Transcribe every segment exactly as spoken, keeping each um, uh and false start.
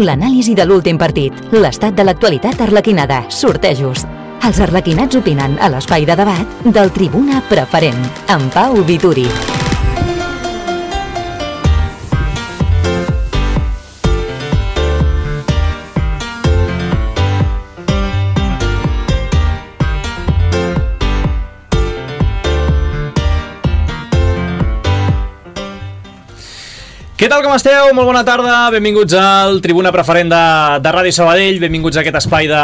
L'anàlisi de l'últim partit, l'estat de l'actualitat arlequinada, sortejos. Els arlequinats opinen a l'espai de debat del Tribuna Preferent, amb Pau Vituri. Què tal, com esteu? Molt bona tarda, benvinguts al Tribuna Preferent de, de Ràdio Sabadell, benvinguts a aquest espai de,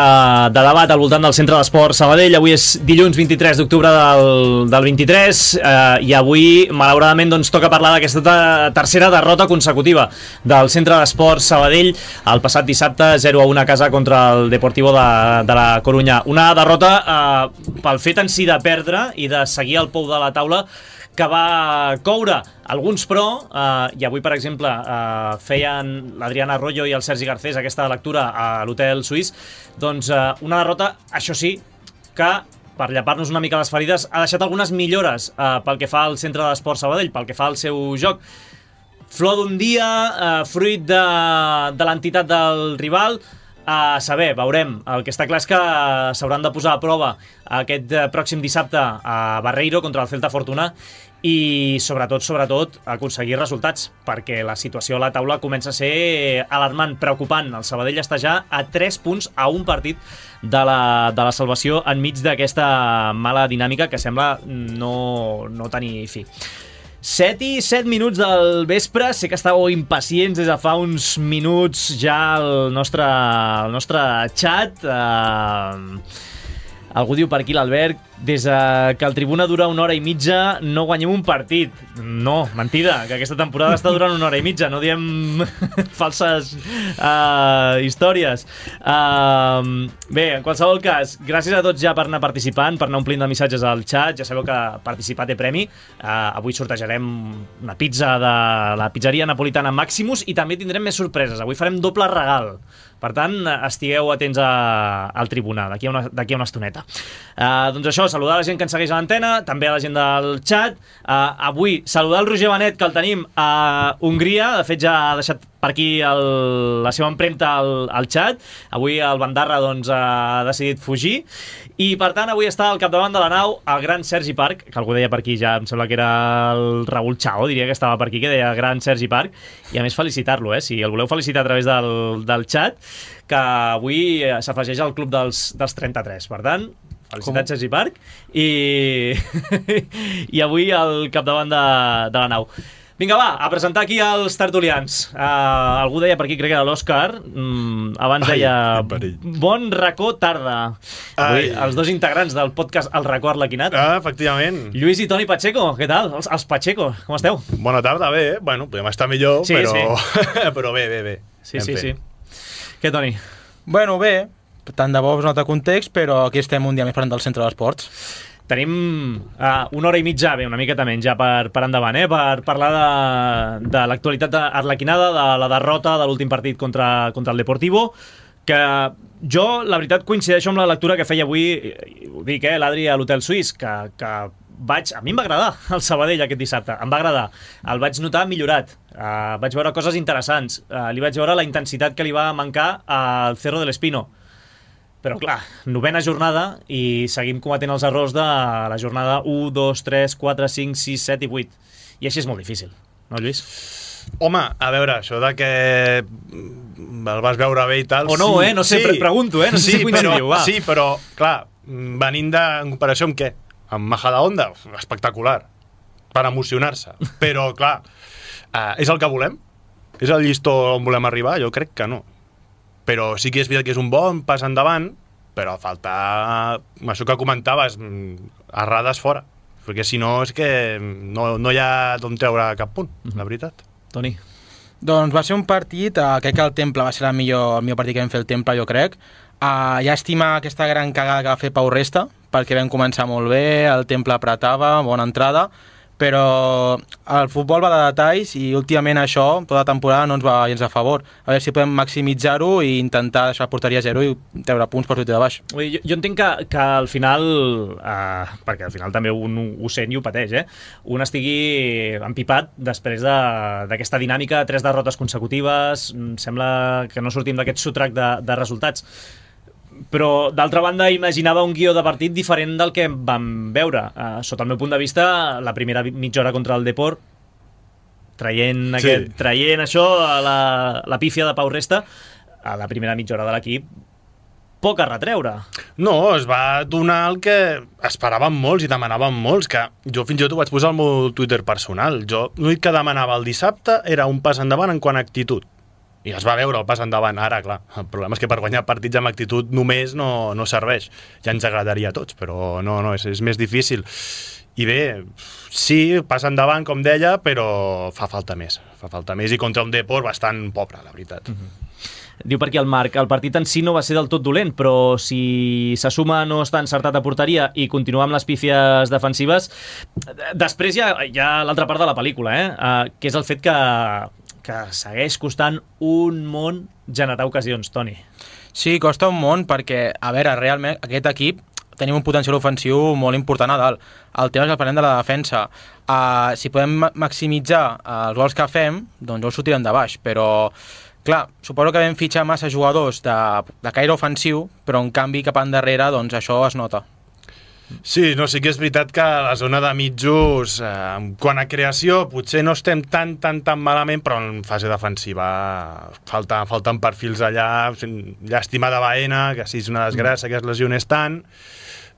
de debat al voltant del Centre d'Esport Sabadell. Avui és dilluns vint-i-tres d'octubre del, del vint-i-tres eh, i avui, malauradament, doncs, toca parlar d'aquesta tercera derrota consecutiva del Centre d'Esport Sabadell el passat dissabte, zero a un a casa contra el Deportivo de, de la Corunya. Una derrota eh, pel fet en si de perdre i de seguir al pou de la taula que va coure alguns però, eh, i avui, per exemple, eh, feien l'Adriana Arroyo i el Sergi Garcés aquesta lectura a l'Hotel Suís, doncs eh, una derrota, això sí, que, per llepar-nos una mica les ferides, ha deixat algunes millores eh, pel que fa al Centre d'Esport Sabadell, pel que fa al seu joc. Flor d'un dia, eh, fruit de, de l'entitat del rival, a saber, veurem. El que està clar és que s'hauran de posar a prova aquest pròxim dissabte a Barreiro contra el Celta Fortuna i sobretot, sobretot, aconseguir resultats, perquè la situació a la taula comença a ser alarmant, preocupant. El Sabadell està ja a tres punts a un partit de la, de la salvació enmig d'aquesta mala dinàmica que sembla no, no tenir fi. set i set minuts del vespre, sé que estàveu impacients des de fa uns minuts ja al nostre, al nostre xat. Uh, algú diu per aquí, l'Albert, des que el Tribuna dura una hora i mitja no guanyem un partit. No, mentida, que aquesta temporada està durant una hora i mitja, no diem falses uh, històries. Uh, bé, en qualsevol cas, gràcies a tots ja per anar participant, per anar omplint de missatges al xat. Ja sabeu que participar té premi. Uh, avui sortejarem una pizza de la pizzeria napolitana Maximus i també tindrem més sorpreses. Avui farem doble regal. Per tant, estigueu atents a, al Tribuna d'aquí a, una, d'aquí a una estoneta. Uh, doncs això, saludar la gent que ens segueix a l'antena, també a la gent del xat. Uh, avui, saludar el Roger Benet, que el tenim a Hongria. De fet, ja ha deixat per aquí el, la seva empremta al, al xat. Avui el Bandarra doncs, ha decidit fugir. I, per tant, avui està al capdavant de la nau el gran Sergi Parc, que algú deia per aquí ja, em sembla que era el Raül Chao, diria que estava per aquí, que deia gran Sergi Parc. I, a més, felicitar-lo, eh? Si el voleu felicitar a través del, del xat, que avui s'afegeix al club dels, dels trenta-tres. Per tant, felicitats, Sergi Parc. I, i avui al capdavant de, de la nau. Vinga, va, a presentar aquí els tertulians. Uh, algú deia per aquí, crec que era l'Òscar, mm, abans Ai, deia bon racó tarda. Avui, Ai. Els dos integrants del podcast El Racó Arlequinat. Ah, efectivament. Lluís i Toni Pacheco, què tal? Els, els Pacheco, com esteu? Bona tarda, bé, eh? Bueno, podem estar millor, sí, però... Sí. Però bé, bé, bé. Sí, sí, sí. Què, Toni? Bueno, bé, tant de bo us nota context, però aquí estem un dia més parlant del Centre d'Esports. Tenim uh, una hora i mitja, bé, una miqueta menys ja per, per endavant, eh? Per parlar de, de l'actualitat arlequinada, de la derrota de l'últim partit contra, contra el Deportivo, que jo, la veritat, coincideixo amb la lectura que feia avui, ho dic, eh, l'Adri a l'Hotel Suís, que, que vaig, a mi em va agradar el Sabadell aquest dissabte, em va agradar, el vaig notar millorat, uh, vaig veure coses interessants, uh, li vaig veure la intensitat que li va mancar al Cerro del Espino. Però clar, novena jornada i seguim cometent els errors de la jornada u, dos, tres, quatre, cinc, sis, set i vuit. I així és molt difícil, no, Lluís? Home, a veure, això de que el vas veure bé i tal... O no, sí, eh? No sé, sí. Pregunto, eh? No sé sí, si coincidiu, va. Sí, però, clar, venint de, en comparació amb què? Amb Majadahonda? Espectacular, per emocionar-se. Però, clar, eh, és el que volem? És el llistó on volem arribar? Jo crec que no. Però sí que és veritat que és un bon pas endavant, però falta això que comentaves, errades fora, perquè si no és que no, no hi ha d'on treure cap punt, la veritat. Toni? Doncs va ser un partit, uh, crec que el Temple va ser el millor, el millor partit que vam fer el Temple, jo crec. Uh, llàstima aquesta gran cagada que va fer Pau Resta, perquè vam començar molt bé, el Temple apretava, bona entrada, però el futbol va de detalls i últimament això, tota la temporada, no ens va gens a favor. A veure si podem maximitzar-ho i intentar deixar la porteria a zero i treure punts per sortir de baix. Jo, jo entenc que, que al final, eh, perquè al final també un ho sent i ho pateix, eh? un estigui empipat després d'aquesta de, dinàmica, tres derrotes consecutives, sembla que no sortim d'aquest sotrac de, de resultats. Però, d'altra banda, imaginava un guió de partit diferent del que vam veure. Uh, sota el meu punt de vista, la primera mitja hora contra el Depor, traient, sí. aquest, traient això, a la, la pífia de Pau Resta, a la primera mitja hora de l'equip, poc a retreure. No, es va donar el que esperàvem molts i demanaven molts, que jo fins i tot ho vaig posar al meu Twitter personal. Jo l'únic que demanava el dissabte era un pas endavant en quant a actitud. I es va veure el pas endavant. Ara, clar, el problema és que per guanyar partits amb actitud només no, no serveix. Ja ens agradaria a tots, però no, no, és, és més difícil. I bé, sí, pas endavant, com deia, però fa falta més. Fa falta més i contra un Depor bastant pobre, la veritat. Mm-hmm. Diu per aquí el Marc, el partit en si no va ser del tot dolent, però si se suma no està encertat a porteria i continua amb les pífies defensives, després hi ha, hi ha l'altra part de la pel·lícula, eh? Uh, que és el fet que, que segueix costant un món generar ocasions, Toni. Sí, costa un món perquè, a veure, realment aquest equip tenim un potencial ofensiu molt important a dalt. El tema és que parlem de la defensa. Uh, si podem maximitzar uh, els gols que fem, doncs els sortirem de baix, però clar, suposo que vam fitxar massa jugadors de, de caire ofensiu, però en canvi cap endarrere doncs això es nota. Sí, no, sí que és veritat que a la zona de mitjos, eh, quan a creació potser no estem tan, tan, tan malament, però en fase defensiva falta, falten perfils allà, llàstima de Baena, que sí és una desgràcia que es lesionés tant,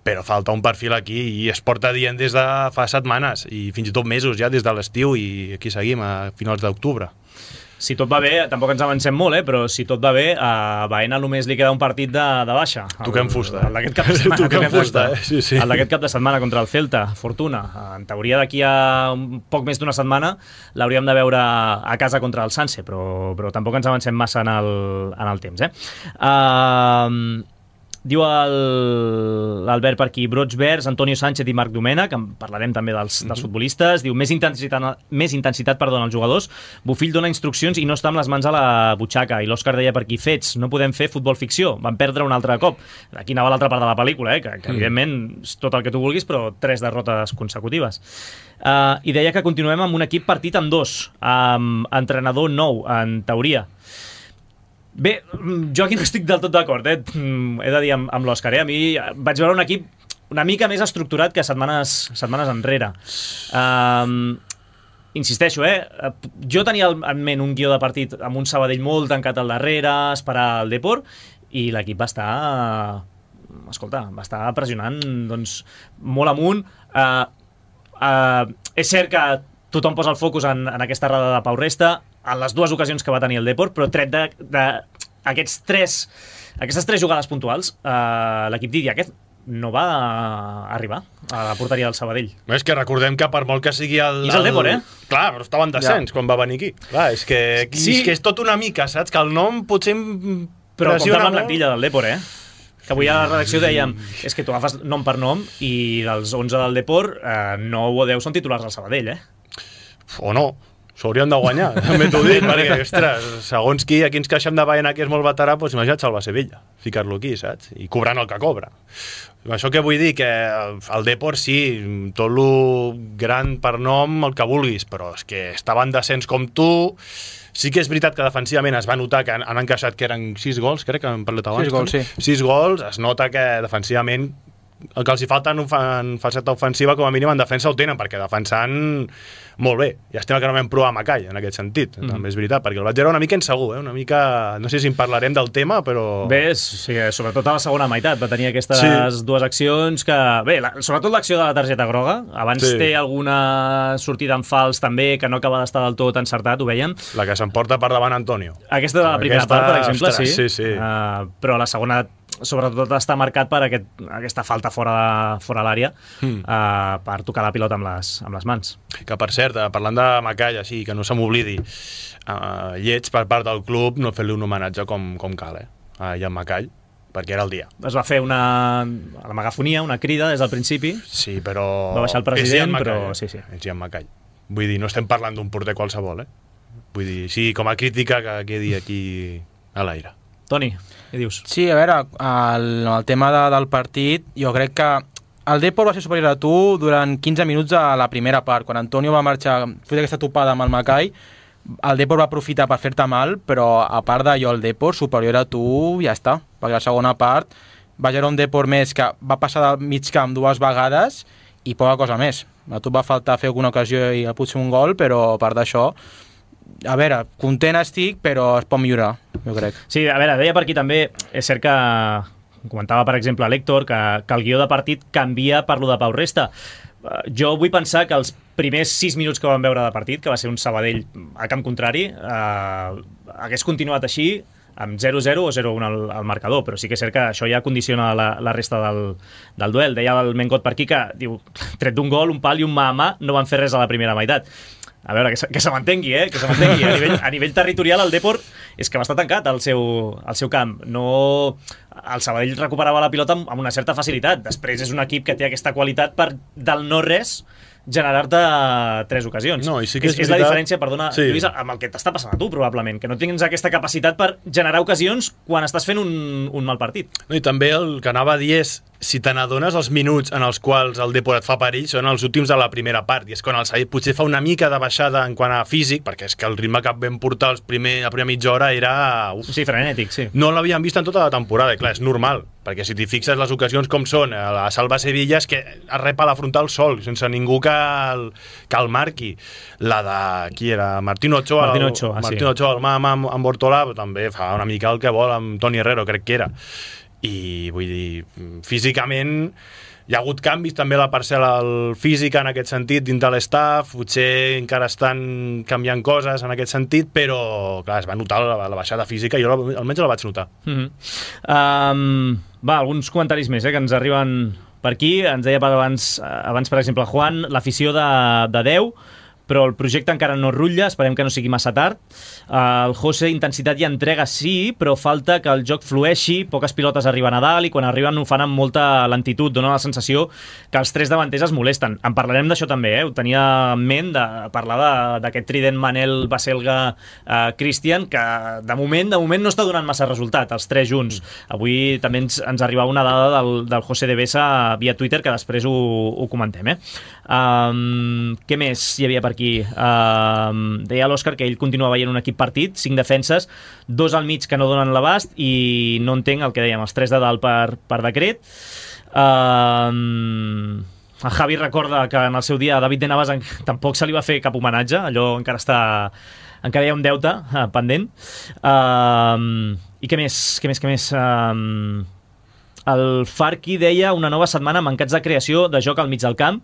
però falta un perfil aquí i es porta dient des de fa setmanes i fins i tot mesos ja, des de l'estiu, i aquí seguim a finals d'octubre. Si tot va bé, tampoc ens avancem molt, eh? Però si tot va bé, a Baena només li queda un partit de, de baixa. Toquem fusta. El d'aquest cap de setmana. Toquem fusta, eh? Sí, sí. El d'aquest cap de setmana contra el Celta, Fortuna. En teoria d'aquí a un poc més d'una setmana l'hauríem de veure a casa contra el Sanse, però, però tampoc ens avancem massa en el, en el temps, eh? Uh, Diu l'Albert per aquí, brots verds, Antonio Sánchez i Marc Domènech, que en parlarem també dels, dels mm-hmm. futbolistes. Diu, més intensitat, més intensitat perdó, als jugadors. Bufill dona instruccions i no està amb les mans a la butxaca. I l'Òscar deia per aquí, fets, no podem fer futbol ficció, van perdre un altre cop. Aquí anava l'altra part de la pel·lícula, eh? que, que evidentment és tot el que tu vulguis, però tres derrotes consecutives. Uh, I deia que continuem amb un equip partit amb dos, amb entrenador nou, en teoria. Bé, jo aquí no estic del tot d'acord, eh? He de dir amb, amb l'Òscar, eh? A mi vaig veure un equip una mica més estructurat que setmanes, setmanes enrere. Um, insisteixo, eh? Jo tenia en ment un guió de partit amb un Sabadell molt tancat al darrere, esperar el Depor, i l'equip va estar... Escolta, va estar pressionant doncs, molt amunt. Uh, uh, és cert que tothom posa el focus en, en aquesta errada de Pau Resta, en les dues ocasions que va tenir el Depor, però tret de, de aquests tres, aquestes tres jugades puntuals, eh, l'equip Didi aquest no va arribar a la porteria del Sabadell. És que recordem que per molt que sigui el... I és el Depor, eh? Clar, però estava en descens ja. Quan va venir aquí. Clar, és que, sí. és que és tot una mica, saps? Que el nom potser però compta amb la plantilla del Depor, eh? Que avui a la redacció dèiem és que tu agafes nom per nom i dels onze del Depor, eh, nou o deu són titulars del Sabadell, eh? O no. S'haurien de guanyar, també t'ho dic, perquè, ostres, segons qui, aquí ens queixem de Baena, que és molt veterà, doncs imagina't salvar Sevilla, ficar-lo aquí, saps? I cobrant el que cobra. Això que vull dir, que el Depor, sí, tot lo gran per nom, el que vulguis, però és que estava en descens com tu. Sí que és veritat que defensivament es va notar que han, han encaixat que eren sis gols, crec que hem parlat abans. Sis gols, sí. Sis gols, es nota que defensivament el que els hi falta en, en faceta ofensiva, com a mínim en defensa ho tenen, perquè defensant molt bé. Llàstima que no vam provar Macai en aquest sentit, mm. també és veritat, perquè el vaig veure una mica insegur, eh? Una mica... No sé si en parlarem del tema, però... Bé, sí, sobretot a la segona meitat va tenir aquestes sí. dues accions que... Bé, la, sobretot l'acció de la targeta groga, abans sí. té alguna sortida en fals també, que no acaba d'estar del tot encertat, ho veiem. La que s'emporta per davant Antonio. Aquesta de la primera aquesta... part, per exemple, Ostres, sí, sí, sí. Uh, però la segona sobretot està marcat per aquest, aquesta falta fora, fora l'àrea mm. uh, per tocar la pilota amb les, amb les mans. Que per cert, parlant de Macai, així, que no se m'oblidi, uh, lleig per part del club no fer-li un homenatge com, com cal, eh? Uh, I en Macai, perquè era el dia. Es va fer una, a la megafonia, una crida des del principi. Sí, però... Va baixar el president, però... Sí, sí. És Ian McCall. Vull dir, no estem parlant d'un porter qualsevol, eh? Vull dir, sí, com a crítica que quedi aquí a l'aire. Toni, què dius? Sí, a veure, el, el tema de, del partit, jo crec que el Depor va ser superior a tu durant quinze minuts a la primera part. Quan Antonio va marxar, fet aquesta topada amb el Macai, el Depor va aprofitar per fer-te mal, però a part d'allò, el Depor superior a tu, ja està. Perquè la segona part va generar un Depor més que va passar del mig camp dues vegades i poca cosa més. A tu va faltar fer alguna ocasió i potser un gol, però a part d'això, a veure, content estic, però es pot millorar, jo crec. Sí, a veure, deia per aquí també, és cert que comentava, per exemple, l'Héctor, que, que el guió de partit canvia per lo de Pau Resta. Uh, jo vull pensar que els primers sis minuts que vam veure de partit, que va ser un Sabadell a camp contrari, uh, hagués continuat així, amb zero zero o zero un al, al marcador, però sí que és cert que això ja condiciona la, la resta del, del duel. Deia el Mengot per aquí que, diu, tret d'un gol, un pal i un mà a mà, no van fer res a la primera meitat. A veure, que se, que se mantengui, eh? Que se mantengui. A nivell, a nivell territorial, el Depor és que va estar tancat al seu, al seu camp. No... El Sabadell recuperava la pilota amb, amb una certa facilitat. Després és un equip que té aquesta qualitat per, del no-res, generar-te tres ocasions. No, i sí que és, és, és la diferència, perdona, sí. Lluís, amb el que t'està passant a tu, probablement, que no tens aquesta capacitat per generar ocasions quan estàs fent un, un mal partit. No, i també el que anava a dir és, si te n'adones, els minuts en els quals el Depor et fa perill són els últims de la primera part, i és quan el Sabadell potser fa una mica de baixada en quant a físic, perquè és que el ritme que vam portar els primer, la primera mitja hora era... Uf, sí, frenètic, sí. No l'havíem vist en tota la temporada, i clar, és normal, perquè si t'hi fixes les ocasions com són, a la Salva Sevilla és que es repa la frontal sol, sense ningú que el, que el marqui. La de... qui era? Martín Ochoa. Martín Ochoa, el, sí. Martín Ochoa, el mà amb, amb Bortolà, també fa una mica el que vol amb Toni Herrero, crec que era. I vull dir, físicament hi ha hagut canvis també a la parcel·la física en aquest sentit dins de l'estaf, potser encara estan canviant coses en aquest sentit, però clar, es va notar la, la baixada física i jo almenys la vaig notar. Mm-hmm. um, va, alguns comentaris més eh, que ens arriben per aquí. Ens deia per abans, abans per exemple Juan, l'afició de, de deu, però el projecte encara no rutlla, esperem que no sigui massa tard. Uh, el José, intensitat i entrega sí, però falta que el joc flueixi, poques pilotes arriben a dalt i quan arriben ho fan amb molta lentitud, dona la sensació que els tres davanters es molesten. En parlarem d'això també, eh? Ho tenia en ment de parlar d'aquest trident Manel, Baselga, uh, Cristian, que de moment de moment no està donant massa resultat, els tres junts. Avui també ens, ens arribava una dada del, del José de Besa via Twitter, que després ho, ho comentem. Eh? Um, què més hi havia per aquí? Uh, deia l'Òscar que ell continua veient un equip partit, cinc defenses, dos al mig que no donen l'abast i no entenc el que dèiem, els tres de dalt per, per decret. Uh, el Javi recorda que en el seu dia a David de Navas en, tampoc se li va fer cap homenatge, allò encara està encara hi ha un deute uh, pendent. Uh, i què més? Què més? Què més? Uh, el Farki deia una nova setmana mancats de creació de joc al mig del camp,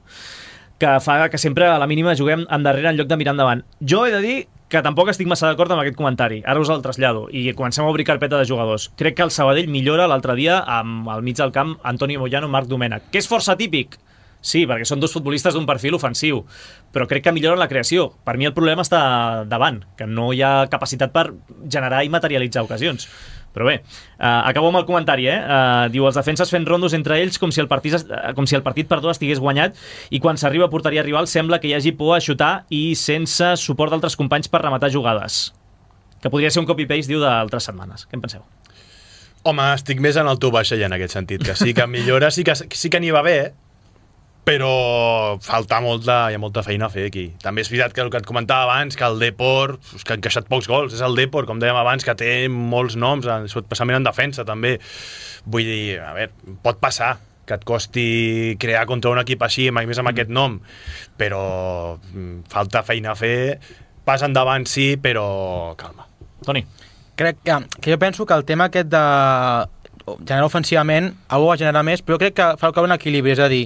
que fa que sempre a la mínima juguem endarrere en lloc de mirar endavant. Jo he de dir que tampoc estic massa d'acord amb aquest comentari. Ara us el trasllado i comencem a obrir carpeta de jugadors. Crec que el Sabadell millora l'altre dia amb al mig del camp Antonio Moyano, Marc Domènech, que és força típic. Sí, perquè són dos futbolistes d'un perfil ofensiu, però crec que milloren la creació. Per mi el problema està davant, que no hi ha capacitat per generar i materialitzar ocasions. Però bé, uh, acabo amb el comentari, eh? Uh, diu, els defenses fent rondos entre ells com si el partit, uh, com si el partit perdó, estigués guanyat i quan s'arriba a porteria rival sembla que hi hagi por a xutar i sense suport d'altres companys per rematar jugades. Que podria ser un copy-paste, diu, d'altres setmanes. Què en penseu? Home, estic més en el teu baix en aquest sentit, que sí que millora, sí que, sí que n'hi va bé, però falta molta, hi ha molta feina a fer aquí. També és veritat que el que et comentava abans, que el Depor, que ha encaixat pocs gols, és el Depor, com dèiem abans, que té molts noms, especialment en defensa també. Vull dir, a veure, pot passar que et costi crear contra un equip així, més amb aquest nom, però falta feina a fer, pas endavant sí, però calma. Toni. Crec que, que jo penso que el tema aquest de generar ofensivament algú va generar més, però crec que fa un equilibri, és a dir,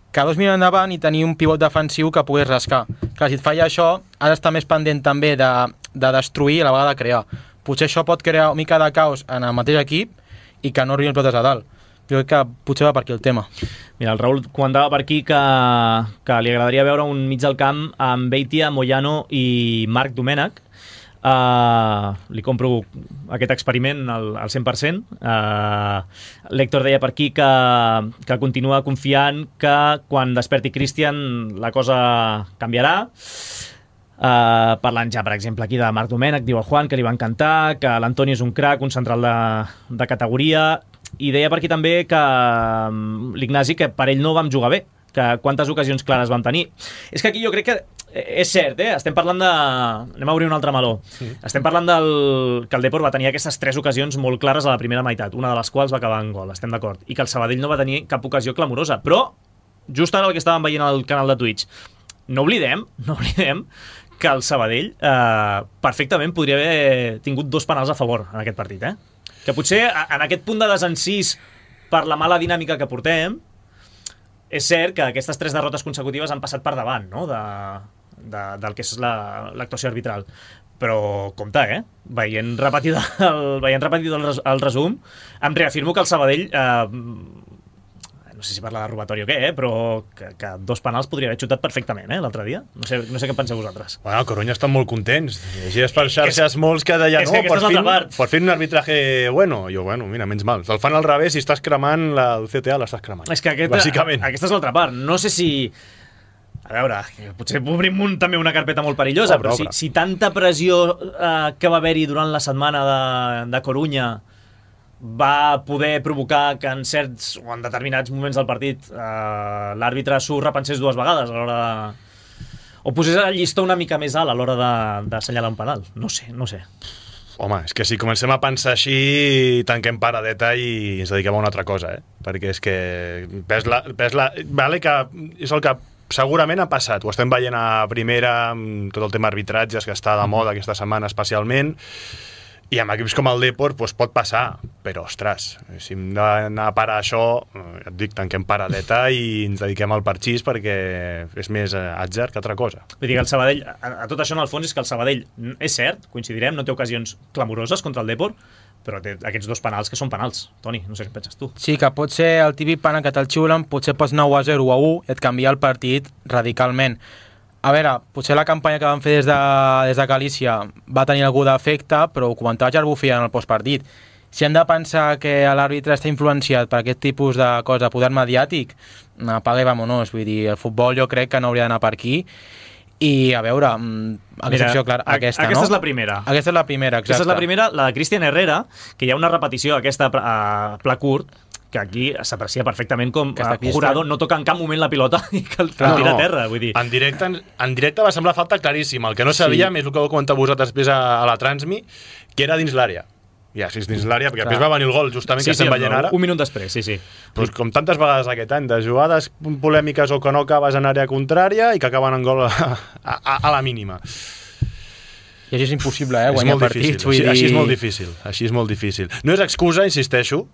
que dos minuts endavant i tenir un pivot defensiu que puguis rascar. Clar, si et falla això, has d'estar més pendent també de, de destruir i a la vegada de crear. Potser això pot crear una mica de caos en el mateix equip i que no arribin pilotes a dalt. Jo crec que potser va per aquí el tema. Mira, el Raül comentava per aquí que, que li agradaria veure un mig del camp amb Beitia, Moyano i Marc Domènech. Uh, li compro aquest experiment al, al cent per cent. Uh, L'Héctor deia per aquí que, que continua confiant que quan desperti Christian la cosa canviarà. Uh, parlant ja, per exemple, aquí de Marc Domènech, diu el Juan que li va encantar, que l'Antoni és un crac, un central de, de categoria, i deia per aquí també que um, l'Ignasi, que per ell no vam jugar bé, que quantes ocasions clares vam tenir. És que aquí jo crec que és cert, eh? Estem parlant de... Anem a obrir un altre meló. Sí. Estem parlant del... que el Depor va tenir aquestes tres ocasions molt clares a la primera meitat, una de les quals va acabar en gol, estem d'acord, i que el Sabadell no va tenir cap ocasió clamorosa, però just ara el que estàvem veient al canal de Twitch, no oblidem, no oblidem que el Sabadell eh, perfectament podria haver tingut dos penals a favor en aquest partit, eh? Que potser en aquest punt de desencís per la mala dinàmica que portem, és cert que aquestes tres derrotes consecutives han passat per davant, no?, de, de, del que és l'actuació la, arbitral. Però, compte, eh? Veient repetit el, veient repetit el, res, el resum, em reafirmo que el Sabadell, eh, no sé si parla de robatori o què, eh? Però que, que dos penals podria haver xutat perfectament, eh, l'altre dia. No sé, no sé què penseu vosaltres. Bueno, Coruña estan molt contents. Llegies per xarxes és, molts que deien, no, per fin, per fin un arbitraje bueno. Jo, bueno, mira, menys mal. El fan al revés i estàs cremant la, el C T A l'estàs cremant. És que aquest, bàsicament. Aquesta és l'altra part. No sé si... A veure, potser obrim un, també una carpeta molt perillosa, obra, però si, si tanta pressió eh, que va haver-hi durant la setmana de, de Coruña va poder provocar que en certs o en determinats moments del partit eh, l'àrbitre s'ho repensés dues vegades a l'hora de... o posés el llistó una mica més alt a l'hora d'assenyalar un penal. No sé, no sé. Home, és que si comencem a pensar així, tanquem paradeta i ens dediquem a una altra cosa, eh? Perquè és que ves la, ves la, vale que és el que segurament ha passat, ho estem veient a primera amb tot el tema arbitratges que està de moda aquesta setmana especialment, i amb equips com el Depor doncs pot passar, però ostres, si hem d'anar a parar això, et dic, tanquem paradeta i ens dediquem al parxís perquè és més atzar que altra cosa. Vull dir que el Sabadell, a, a tot això en el fons és que el Sabadell, és cert, coincidirem, no té ocasions clamoroses contra el Depor, però té aquests dos penals que són penals. Toni, no sé què penses tu. Sí, que pot ser el típic penal que te'l xiulen, potser pots anar u a zero o a u i et canvia el partit radicalment. A veure, potser la campanya que van fer des de, des de Galícia va tenir algú d'efecte, però ho comentava Jarbufia en el postpartit. Si hem de pensar que l'àrbitre està influenciat per aquest tipus de cosa de poder mediàtic, apaga i vámonos. Vull dir, el futbol jo crec que no hauria d'anar per aquí. I, a veure, aquesta opció, clar, aquesta, aquesta no? és la primera. Aquesta és la primera, exacte. Aquesta és la primera, la de Cristian Herrera, que hi ha una repetició aquesta a pla curt, que aquí s'aprecia perfectament com que Jurado no toca en cap moment la pilota i que el tira no, a terra, vull dir. En directe, en, en directe va semblar falta claríssima. El que no sabíem sí. és el que heu comentat vosaltres després a, a la Transmi, que era dins l'àrea. Ja, si és dins l'àrea, perquè després va venir el gol justament sí, que estem sí, veient ara. Un minut després, sí, sí. Pues, com tantes vegades aquest any, de jugades polèmiques o que no acabes en àrea contrària i que acaben en gol a, a, a la mínima. I així és impossible, eh, guanyar partits. Vull dir... Així és molt difícil, així és molt difícil. No és excusa, insisteixo,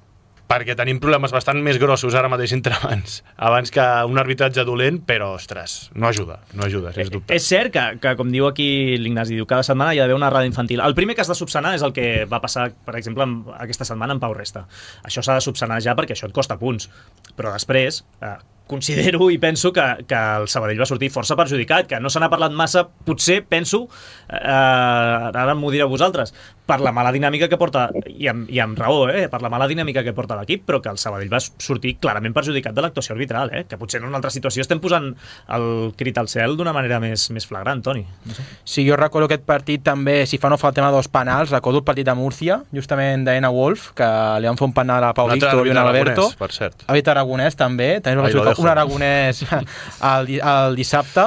perquè tenim problemes bastant més grossos ara mateix entre abans, abans que un arbitratge dolent, però, ostres, no ajuda, no ajuda, sens dubte. És cert que, que com diu aquí l'Ignasi, diu cada setmana hi ha d'haver una errada infantil. El primer que has de subsanar és el que va passar, per exemple, aquesta setmana amb Pau Resta. Això s'ha de subsanar ja perquè això et costa punts. Però després, eh, considero i penso que, que el Sabadell va sortir força perjudicat, que no se n'ha parlat massa, potser, penso, eh, ara m'ho direu vosaltres, per la mala dinàmica que porta, i amb, i amb raó, eh, per la mala dinàmica que porta l'equip, però que el Sabadell va sortir clarament perjudicat de l'actuació arbitral, eh, que potser en una altra situació estem posant el crit al cel d'una manera més, més flagrant, Toni. No sé. Sí, jo recordo aquest partit també, si fa no fa el tema dos penals, recordo el partit de Múrcia, justament d'Ena Wolf, que li van fer un penal a Pau Víctor i un Alberto. Per cert. Habit Aragonès també, també va un aragonès el, el dissabte.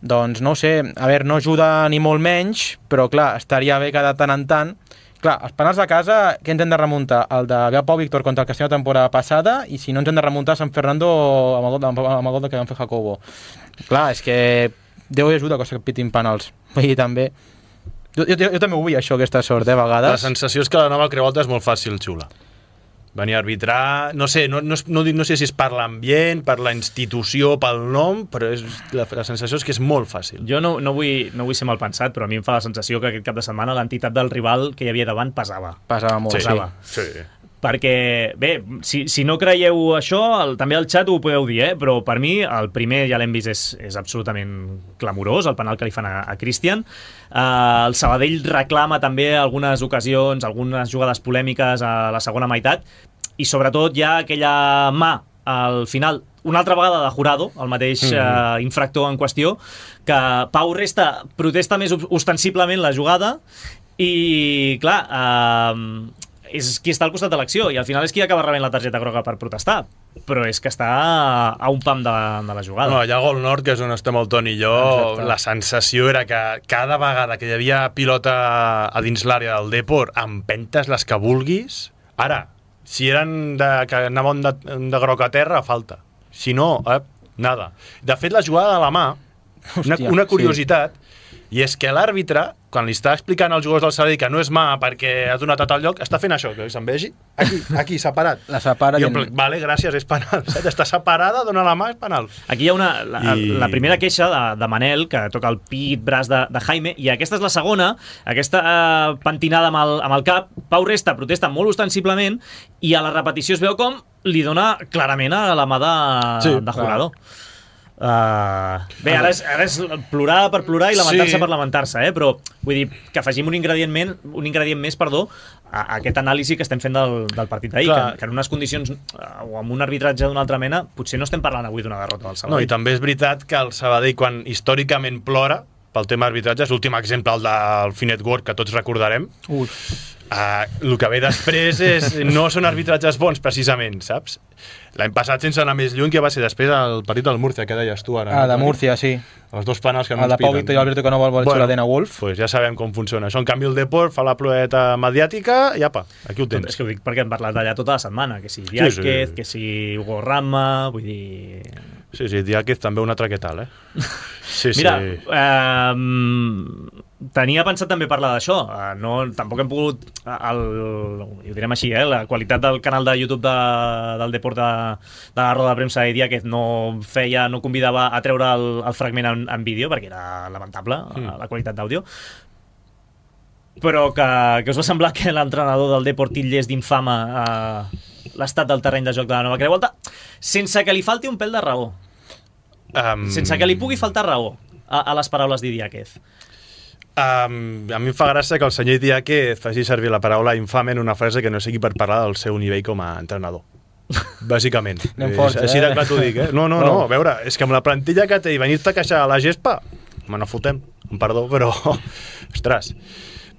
Doncs no ho sé, a veure, no ajuda ni molt menys, però clar, estaria bé que de tant en tant... Clar, els penals de casa, què ens hem de remuntar? El de Pau Víctor contra el Castelló la temporada passada, i si no ens hem de remuntar a San Fernando amb el gol, amb el gol que vam fer Jacobo. Clar, és que Déu hi ajuda que es pitin penals. Vull dir, també... Jo, jo, jo també ho vull, això, aquesta sort, eh, a vegades. La sensació és que la nova Creualta és molt fàcil, xula. Venir a arbitrar, no sé, no, no, no, no sé si és per l'ambient, per la institució, pel nom, però és, la, la sensació és que és molt fàcil. Jo no, no, vull, no vull ser mal pensat, però a mi em fa la sensació que aquest cap de setmana l'entitat del rival que hi havia davant pesava. Pesava molt, sí. Pesava. Sí. perquè, bé, si, si no creieu això, el, també al xat ho podeu dir, eh? Però per mi el primer, ja l'hem vist, és, és absolutament clamorós, el penal que li fan a, a Christian. Uh, el Sabadell reclama també algunes ocasions, algunes jugades polèmiques a la segona meitat, i sobretot hi ha aquella mà al final, una altra vegada de Jurado, el mateix mm-hmm. uh, infractor en qüestió, que Pau Resta protesta més ostensiblement la jugada i, clar, uh, és qui està al costat de l'acció i al final és qui acaba rebent la targeta groga per protestar, però és que està a un pam de, de la jugada. No, allà al Gol Nord, que és on estem el Toni i jo, exacte, la sensació era que cada vegada que hi havia pilota a dins l'àrea del Depor, empentes les que vulguis. Ara, si eren de, que anaven de, de groc a terra, falta. Si no, eh, nada. De fet, la jugada de la mà, una, Hòstia, una curiositat, sí. I és que l'àrbitre, quan li està explicant als jugadors del Sabadell que no és mà perquè ha donat a tal lloc, està fent això, que se'n vegi, aquí, aquí, separat. La separa... I en... Vale, gràcies, és penal. Està separada, dona la mà, és penal. Aquí hi ha una, la, I... la primera queixa de, de Manel, que toca el pit, braç de, de Jaime, i aquesta és la segona, aquesta eh, pentinada amb el, amb el cap. Pau Resta protesta molt ostensiblement, i a la repetició es veu com li dona clarament a la mà de, sí, de Jurado. Uh, bé, ara és, ara és plorar per plorar i lamentar-se sí. per lamentar-se, eh? Però vull dir que afegim un ingredient, men, un ingredient més perdó, a, a aquest anàlisi que estem fent del, del partit d'ahir, que, que en unes condicions uh, o amb un arbitratge d'una altra mena potser no estem parlant avui d'una derrota del Sabadell. No, i també és veritat que el Sabadell, quan històricament plora pel tema arbitratge, és l'últim exemple, el del Finet World, que tots recordarem. Ui. Uh, el que ve després és, no són arbitratges bons, precisament, saps? L'any passat, sense anar més lluny, que va ser després el partit del Múrcia, que deies tu ara. Ah, de Múrcia, sí. Els dos penals que no el ens de Pau Víctor i Alberto que no vol voler bueno, la Wolf. Pues ja sabem com funciona això. En canvi, el Depor fa la ploeta mediàtica i apa, aquí ho tens. És que ho dic perquè hem parlat d'allà tota la setmana, que si Diáquez, sí, sí. que si Hugo Rama, vull dir... Sí, sí, Diáquez també una traquetal, eh? Sí, Mira, sí. Eh, tenia pensat també parlar d'això. Eh, no, tampoc hem pogut... El, ho direm així, eh? La qualitat del canal de YouTube de, del Deport de, de la roda de premsa i Diáquez no feia, no convidava a treure el, el fragment en, en vídeo, perquè era lamentable mm. la qualitat d'àudio. Però que, que us va semblar que l'entrenador del Deport titllés d'infama eh, l'estat del terreny de joc de la Nova Creu Alta, sense que li falti un pèl de raó. Um... Sense que li pugui faltar raó a, a les paraules d'Idiáquez. Um, a mi em fa gràcia que el senyor Diáquez faci servir la paraula infame en una frase que no sigui per parlar del seu nivell com a entrenador. Bàsicament. Anem forts, així eh? de clar t'ho dic, eh? No, no, no, a veure, és que amb la plantilla que té i venir-te a queixar a la gespa, me no fotem, perdó, però ostres,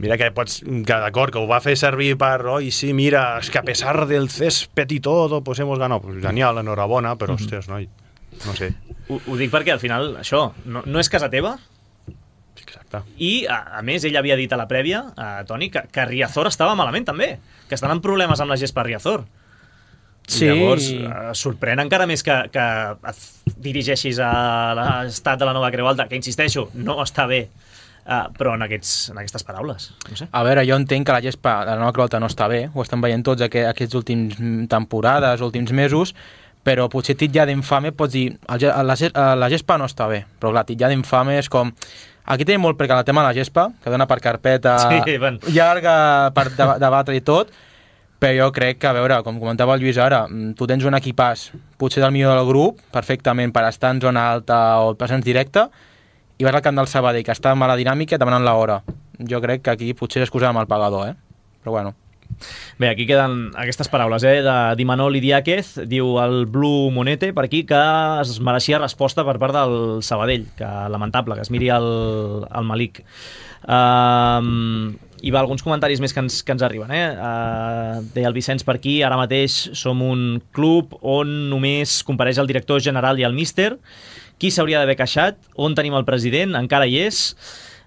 mira que pots, que d'acord, que ho va fer servir per, oi, sí, mira, és que a pesar del césped i todo, pues hemos ganado, pues genial, enhorabona, però, mm-hmm. ostres, noi, no sé. Ho, ho dic perquè al final, això, no, no és casa teva. Exacte. I, a, a més, ell havia dit a la prèvia, a Toni, que, que Riazor estava malament també, que estan en problemes amb la gespa Riazor. Sí. Llavors, eh, sorprèn encara més que, que et dirigeixis a l'estat de la Nova Creu Alta, que, insisteixo, no està bé, eh, però en, aquests, en aquestes paraules. No sé. A veure, jo entenc que la gespa de la Nova Creu Alta no està bé, ho estan veient tots aqu aquests últims temporades, últims mesos, però potser titllar d'infame pots dir el, la, la gespa no està bé, però clar, titllar d'infame és com... Aquí tenim molt perquè el tema de la gespa, que dona per carpeta sí, ben. llarga per debatre i tot, però jo crec que, a veure, com comentava el Lluís ara, tu tens un equipàs, potser del millor del grup, perfectament per estar en zona alta o presents directe, i vas al camp del Sabadell, que està en mala dinàmica, demanant l'hora. Jo crec que aquí potser s'excusa amb el pagador, eh? Però bueno. Bé, aquí queden aquestes paraules, eh, de Dimanol Idiáquez. Diu el Blue Monete per aquí que es mereixia resposta per part del Sabadell, que lamentable, que es miri el, el Malik. Um, hi va alguns comentaris més que ens, que ens arriben, eh? Uh, deia el Vicenç per aquí, ara mateix som un club on només compareix el director general i el míster. Qui s'hauria d'haver queixat? On tenim el president? Encara hi és.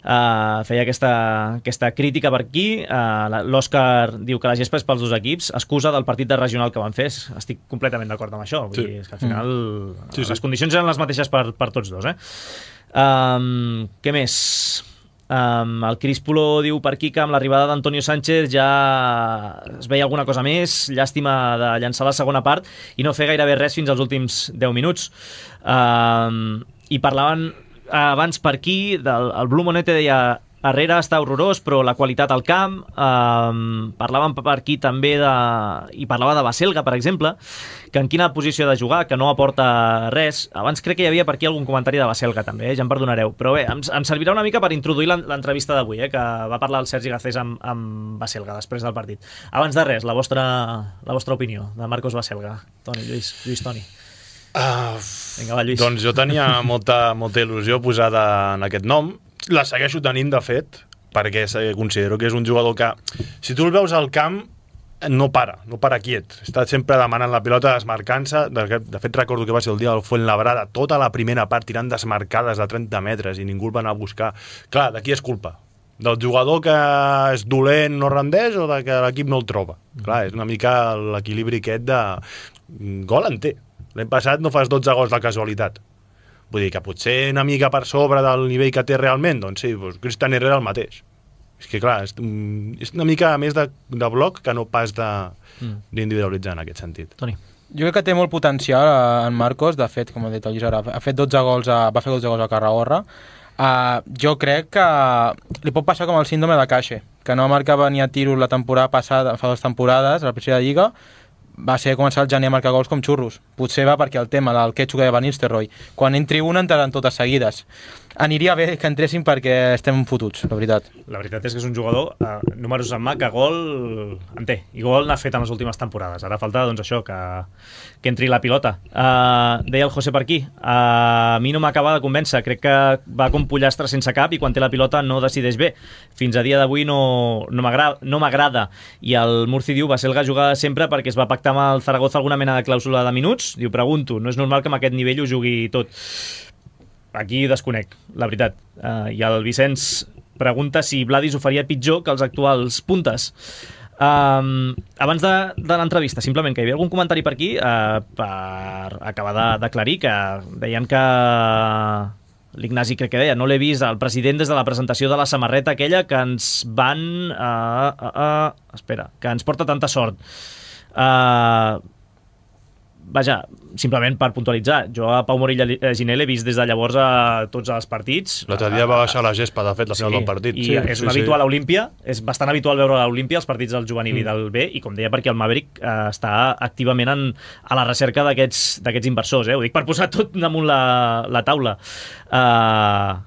Uh, feia aquesta, aquesta crítica per aquí. uh, l'Òscar diu que la gespa és pels dos equips, excusa del partit de regional que van fer. Estic completament d'acord amb això. Vull sí. dir, és que al final mm. sí, sí. les condicions eren les mateixes per, per tots dos, eh? Um, què més? Um, el Crispulo diu per aquí que amb l'arribada d'Antonio Sánchez ja es veia alguna cosa més, llàstima de llançar la segona part i no fer gairebé res fins als últims deu minuts. Um, i parlaven abans per aquí, del, el Blue Monete deia Herrera està horrorós, però la qualitat al camp, eh, parlàvem per aquí també de... i parlava de Baselga, per exemple, que en quina posició ha de jugar, que no aporta res. Abans crec que hi havia per aquí algun comentari de Baselga també, eh? Ja em perdonareu, però bé, em, em servirà una mica per introduir l'entrevista d'avui, eh? Que va parlar el Sergi Garcés amb, amb Baselga després del partit. Abans de res, la vostra, la vostra opinió de Marcos Baselga. Toni, Lluís, Lluís Toni. Uh, Vinga, va, Lluís. Doncs jo tenia molta, molta il·lusió posada en aquest nom. La segueixo tenint, de fet, perquè considero que és un jugador que, si tu el veus al camp, no para, no para quiet. Està sempre demanant la pilota, desmarcant-se. De, de fet, recordo que va ser el dia del Fuenlabrada, tota la primera part tirant desmarcades de trenta metres i ningú el va anar a buscar. Clar, de qui és culpa? Del jugador que és dolent, no rendeix, o de que l'equip no el troba? Mm. Clar, és una mica l'equilibri aquest de... Gol en té. L'any passat no fas dotze gols de casualitat. Vull dir que potser una mica per sobre del nivell que té realment, doncs sí, doncs Cristian Herrera el mateix. És que clar, és, és una mica més de, de bloc que no pas d'individualitzar en aquest sentit. Toni. Jo crec que té molt potencial en Marcos, de fet, com ha dit el Lluís ara, ha fet dotze gols a, va fer dotze gols a Carragorra. Uh, jo crec que li pot passar com el síndrome de Caixe, que no marcava ni a tiros la temporada passada, fa dues temporades, a la primera lliga, va ser començar el gener a marcar gols com xurros. Potser va perquè el tema del quetxo que va venir Nistelrooy. Quan entri una, entraran totes seguides. Aniria bé que entressin perquè estem fotuts, la veritat. La veritat és que és un jugador, eh, números en mà, que gol en té. I gol n'ha fet en les últimes temporades. Ara falta, doncs, això, que, que entri la pilota. Uh, deia el José per aquí. Uh, a mi no m'acaba de convèncer. Crec que va com pollastre sense cap i quan té la pilota no decideix bé. Fins a dia d'avui no, no m'agrada. No m'agrada. I el Murci diu, Baselga juga sempre perquè es va pactar amb el Zaragoza alguna mena de clàusula de minuts. Diu, pregunto, no és normal que amb aquest nivell ho jugui tot. Aquí desconec, la veritat. Uh, I el Vicenç pregunta si Vladis ho faria pitjor que els actuals puntes. Um, abans de, de l'entrevista, simplement, que hi havia algun comentari per aquí uh, per acabar d'aclarir que deien que l'Ignasi crec que deia, no l'he vist el president des de la presentació de la samarreta aquella que ens van uh, uh, uh, espera, que ens porta tanta sort. Uh, vaja, simplement per puntualitzar, jo a Pau Morilla Giné l'he vist des de llavors a tots els partits. L'altre dia va baixar la gespa, de fet, la final sí, del partit. I sí, és un sí, habitual sí. a Olímpia, és bastant habitual veure a l'Olímpia els partits del juvenil mm. i del B, i com deia, perquè el Maverick eh, està activament en, a la recerca d'aquests d'aquests inversors, eh? Ho dic per posar tot damunt la, la taula. Uh,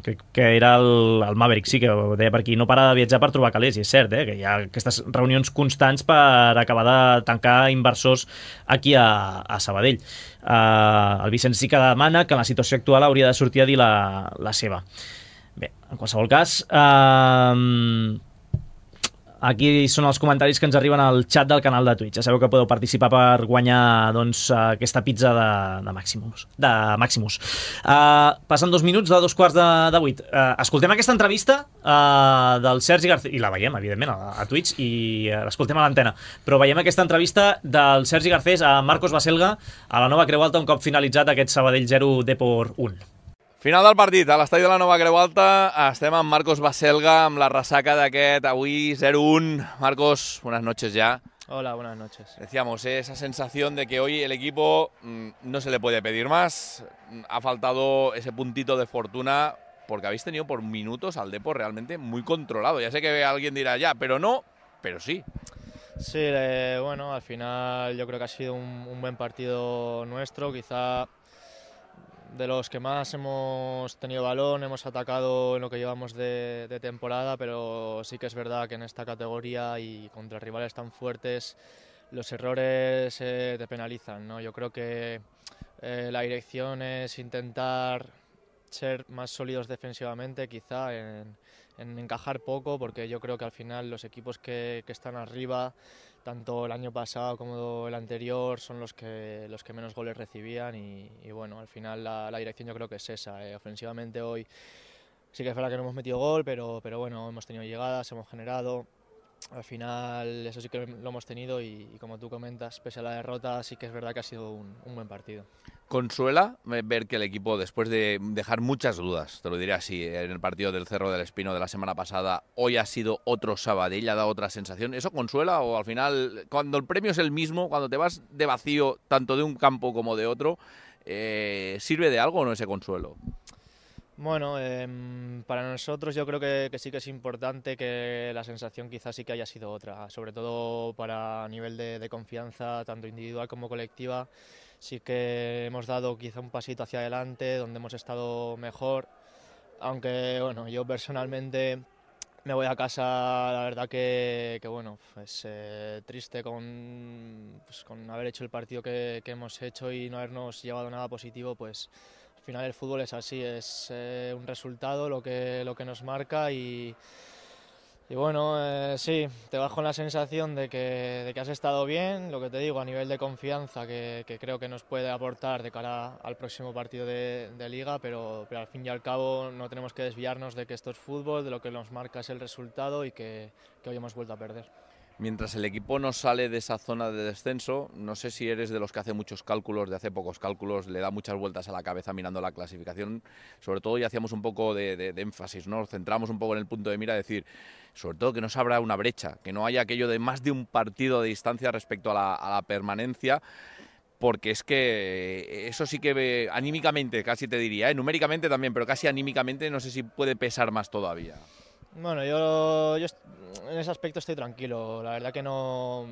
que, que era el, el Maverick, sí, que ho deia per aquí, no para de viatjar per trobar calés, i és cert, eh, que hi ha aquestes reunions constants per acabar de tancar inversors aquí a, a Sabadell. Uh, el Vicenç sí que demana que en la situació actual hauria de sortir a dir la, la seva. Bé, en qualsevol cas, uh, aquí són els comentaris que ens arriben al xat del canal de Twitch. Ja sabeu que podeu participar per guanyar, doncs, aquesta pizza de, de Maximus. De Maximus. Uh, passen dos minuts de dos quarts de, de vuit. Uh, escoltem aquesta entrevista uh, del Sergi Garcés, i la veiem, evidentment, a, a Twitch, i uh, l'escoltem a l'antena. Però veiem aquesta entrevista del Sergi Garcés a Marcos Baselga a la Nova Creu Alta, un cop finalitzat aquest Sabadell zero, Depor u. Final del partit, a l'estadi de la Nova Creu Alta, estem amb Marcos Baselga, amb la ressaca d'aquest avui zero uno. Marcos, buenas noches ya. Hola, buenas noches. Decíamos, ¿eh? Esa sensación de que hoy el equipo mmm, no se le puede pedir más, ha faltado ese puntito de fortuna, porque habéis tenido por minutos al Depor realmente muy controlado. Ya sé que alguien dirá, ya, pero no, pero sí. Sí, eh, bueno, al final yo creo que ha sido un, un buen partido nuestro, quizá de los que más hemos tenido balón, hemos atacado en lo que llevamos de, de temporada, pero sí que es verdad que en esta categoría y contra rivales tan fuertes los errores eh, te penalizan, ¿no? Yo creo que eh, la dirección es intentar ser más sólidos defensivamente, quizá en, en encajar poco, porque yo creo que al final los equipos que, que están arriba, tanto el año pasado como el anterior, son los que, los que menos goles recibían y, y bueno, al final la, la dirección yo creo que es esa. Eh. Ofensivamente hoy sí que es verdad que no hemos metido gol, pero, pero bueno, hemos tenido llegadas, hemos generado. Al final eso sí que lo hemos tenido y, y como tú comentas, pese a la derrota, sí que es verdad que ha sido un, un buen partido. Consuela ver que el equipo, después de dejar muchas dudas, te lo diré así, en el partido del Cerro del Espino de la semana pasada, hoy ha sido otro Sabadell, ha dado otra sensación. ¿Eso consuela o al final, cuando el premio es el mismo, cuando te vas de vacío tanto de un campo como de otro, eh, sirve de algo o no ese consuelo? Bueno, eh, para nosotros yo creo que, que sí que es importante, que la sensación quizás sí que haya sido otra, sobre todo para nivel de, de confianza, tanto individual como colectiva. Sí que hemos dado quizá un pasito hacia adelante, donde hemos estado mejor, aunque bueno, yo personalmente me voy a casa, la verdad que, que bueno, pues eh, triste con, pues, con haber hecho el partido que, que hemos hecho y no habernos llevado nada positivo. Pues al final el fútbol es así, es eh, un resultado lo que, lo que nos marca y, y bueno, eh, sí, te vas con la sensación de que, de que has estado bien, lo que te digo, a nivel de confianza que, que creo que nos puede aportar de cara al próximo partido de, de Liga, pero, pero al fin y al cabo no tenemos que desviarnos de que esto es fútbol, de lo que nos marca es el resultado y que, que hoy hemos vuelto a perder. Mientras el equipo no sale de esa zona de descenso, no sé si eres de los que hace muchos cálculos, de hace pocos cálculos, le da muchas vueltas a la cabeza mirando la clasificación. Sobre todo, y hacíamos un poco de, de, de énfasis, ¿no? Nos centramos un poco en el punto de mira, decir, sobre todo que no se abra una brecha, que no haya aquello de más de un partido de distancia respecto a la, a la permanencia, porque es que eso sí que anímicamente, casi te diría, ¿eh? Numéricamente también, pero casi anímicamente no sé si puede pesar más todavía. Bueno, yo, yo en ese aspecto estoy tranquilo, la verdad que no,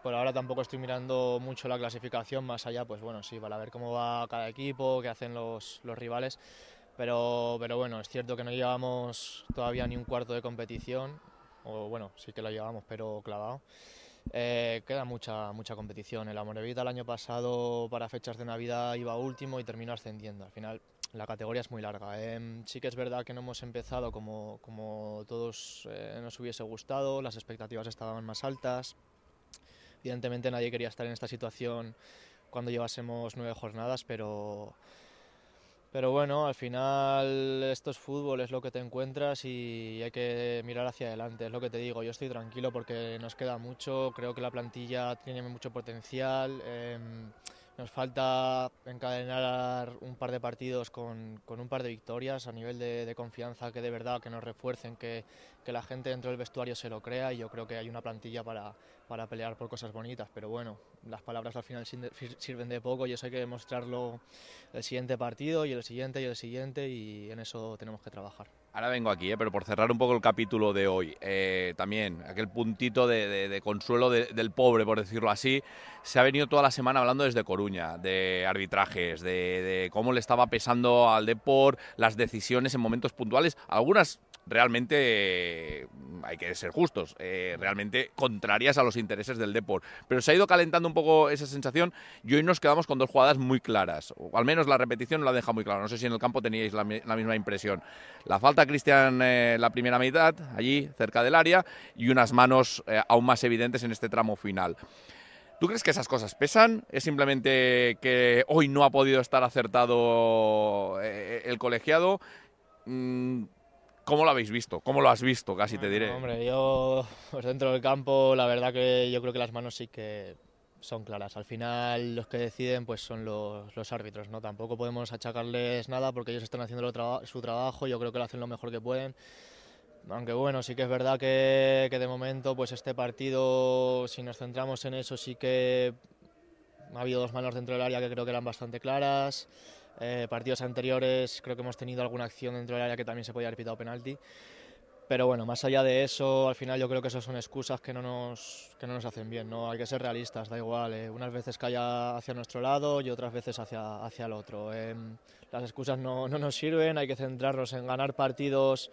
por ahora tampoco estoy mirando mucho la clasificación, más allá, pues bueno, sí, para ver cómo va cada equipo, qué hacen los, los rivales, pero, pero bueno, es cierto que no llevamos todavía ni un cuarto de competición, o bueno, sí que lo llevamos, pero clavado. Eh, queda mucha, mucha competición. El Amorebieta el año pasado para fechas de Navidad iba último y terminó ascendiendo. Al final la categoría es muy larga. Eh, sí que es verdad que no hemos empezado como, como todos eh, nos hubiese gustado, las expectativas estaban más altas. Evidentemente nadie quería estar en esta situación cuando llevásemos nueve jornadas, pero... Pero bueno, al final esto es fútbol, es lo que te encuentras y hay que mirar hacia adelante, es lo que te digo. Yo estoy tranquilo porque nos queda mucho, creo que la plantilla tiene mucho potencial, eh, nos falta encadenar un par de partidos con, con un par de victorias a nivel de, de confianza, que de verdad que nos refuercen, que, que la gente dentro del vestuario se lo crea, y yo creo que hay una plantilla para, para pelear por cosas bonitas, pero bueno, las palabras al final sirven de poco y eso hay que demostrarlo el siguiente partido y el siguiente y el siguiente, y en eso tenemos que trabajar. Ahora vengo aquí, ¿eh? Pero por cerrar un poco el capítulo de hoy, eh, también aquel puntito de, de, de consuelo de, del pobre, por decirlo así, se ha venido toda la semana hablando desde Coruña, de arbitrajes, de, de cómo le estaba pesando al Depor las decisiones en momentos puntuales, algunas realmente, eh, hay que ser justos, eh, realmente contrarias a los intereses del Depor. Pero se ha ido calentando un poco esa sensación y hoy nos quedamos con dos jugadas muy claras, o al menos la repetición la deja muy clara. No sé si en el campo teníais la, la misma impresión. La falta a Cristian eh, la primera mitad, allí cerca del área, y unas manos eh, aún más evidentes en este tramo final. ¿Tú crees que esas cosas pesan? ¿Es simplemente que hoy no ha podido estar acertado eh, el colegiado? Mm, ¿Cómo lo habéis visto? ¿Cómo lo has visto? Casi bueno, te diré. Hombre, yo pues dentro del campo, la verdad que yo creo que las manos sí que son claras. Al final los que deciden pues son los, los árbitros, ¿no? Tampoco podemos achacarles nada porque ellos están haciendo lo traba- su trabajo. Yo creo que lo hacen lo mejor que pueden. Aunque bueno, sí que es verdad que, que de momento pues este partido, si nos centramos en eso, sí que ha habido dos manos dentro del área que creo que eran bastante claras. Eh, partidos anteriores creo que hemos tenido alguna acción dentro del área que también se podía haber pitado penalti. Pero bueno, más allá de eso, al final yo creo que eso son excusas que no nos, que no nos hacen bien, ¿no? Hay que ser realistas, da igual. Eh, unas veces calla hacia nuestro lado y otras veces hacia, hacia el otro. Eh, las excusas no, no nos sirven, hay que centrarnos en ganar partidos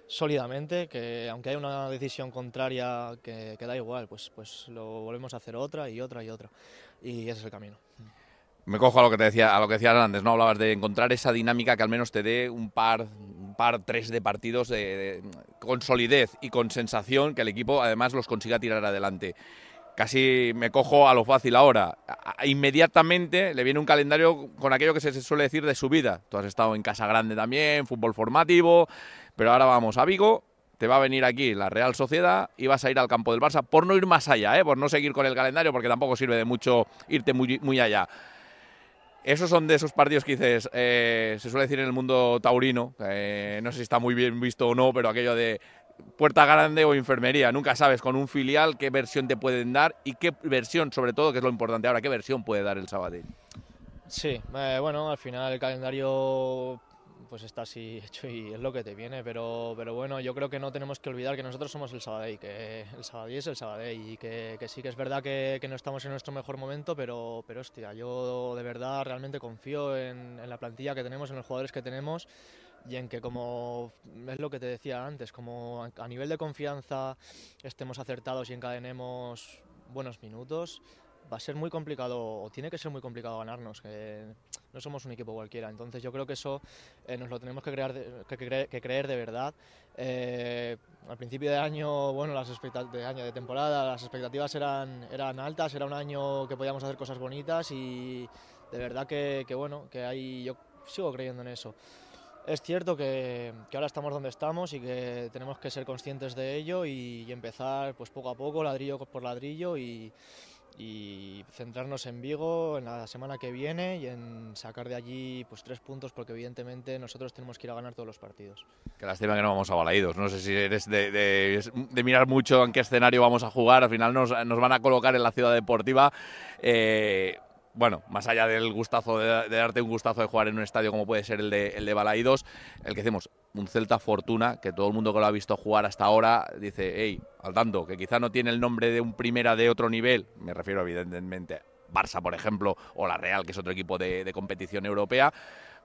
sólidamente, que aunque haya una decisión contraria que, que da igual, pues, pues lo volvemos a hacer otra y otra y otra. Y ese es el camino. Me cojo a lo que te decía, a lo que decías antes, ¿no? Hablabas de encontrar esa dinámica que al menos te dé un par, un par, tres de partidos de, de, con solidez y con sensación, que el equipo además los consiga tirar adelante. Casi me cojo a lo fácil ahora. A, a, inmediatamente le viene un calendario con aquello que se suele decir de subida. Tú has estado en Casa Grande también, fútbol formativo, pero ahora vamos a Vigo. Te va a venir aquí la Real Sociedad y vas a ir al campo del Barça, por no ir más allá, ¿eh? Por no seguir con el calendario, porque tampoco sirve de mucho irte muy, muy allá. Esos son de esos partidos que dices, eh, se suele decir en el mundo taurino, eh, no sé si está muy bien visto o no, pero aquello de puerta grande o enfermería, nunca sabes con un filial qué versión te pueden dar y qué versión, sobre todo, que es lo importante ahora, qué versión puede dar el Sabadell. Sí, eh, bueno, al final el calendario pues está así hecho y es lo que te viene, pero, pero bueno, yo creo que no tenemos que olvidar que nosotros somos el Sabadell, que el Sabadell es el Sabadell y que, que sí que es verdad que, que no estamos en nuestro mejor momento, pero, pero hostia, yo de verdad realmente confío en, en la plantilla que tenemos, en los jugadores que tenemos y en que, como es lo que te decía antes, como a nivel de confianza estemos acertados y encadenemos buenos minutos, va a ser muy complicado, o tiene que ser muy complicado ganarnos, que no somos un equipo cualquiera. Entonces yo creo que eso eh, nos lo tenemos que, crear de, que, que, que creer de verdad. Eh, al principio de año, bueno, las expectativas de año, de temporada, las expectativas eran, eran altas, era un año que podíamos hacer cosas bonitas y de verdad que, que bueno, que hay, yo sigo creyendo en eso. Es cierto que, que ahora estamos donde estamos y que tenemos que ser conscientes de ello y, y empezar pues poco a poco, ladrillo por ladrillo y y centrarnos en Vigo en la semana que viene y en sacar de allí pues tres puntos, porque evidentemente nosotros tenemos que ir a ganar todos los partidos. Qué lástima que no vamos a Balaídos. No sé si eres de, de, de mirar mucho en qué escenario vamos a jugar. Al final nos, nos van a colocar en la Ciudad Deportiva. Eh, bueno, más allá del gustazo, de, de darte un gustazo de jugar en un estadio como puede ser el de, el de Balaídos, el que decimos, un Celta Fortuna, que todo el mundo que lo ha visto jugar hasta ahora dice, hey, al tanto, que quizá no tiene el nombre de un primera de otro nivel, me refiero evidentemente a Barça, por ejemplo, o la Real, que es otro equipo de, de competición europea,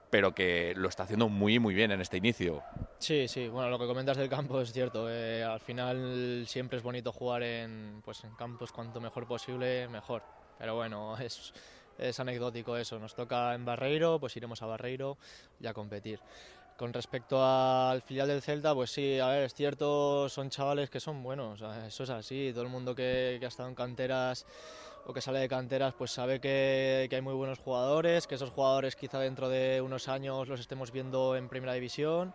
pero que lo está haciendo muy, muy bien en este inicio. Sí, sí, bueno, lo que comentas del campo es cierto. Eh, al final siempre es bonito jugar en, pues, en campos cuanto mejor posible, mejor. Pero bueno, es, es anecdótico eso. Nos toca en Barreiro, pues iremos a Barreiro y a competir. Con respecto al filial del Celta, pues sí, a ver, es cierto, son chavales que son buenos, eso es así. Todo el mundo que, que ha estado en canteras o que sale de canteras pues sabe que, que hay muy buenos jugadores, que esos jugadores quizá dentro de unos años los estemos viendo en Primera División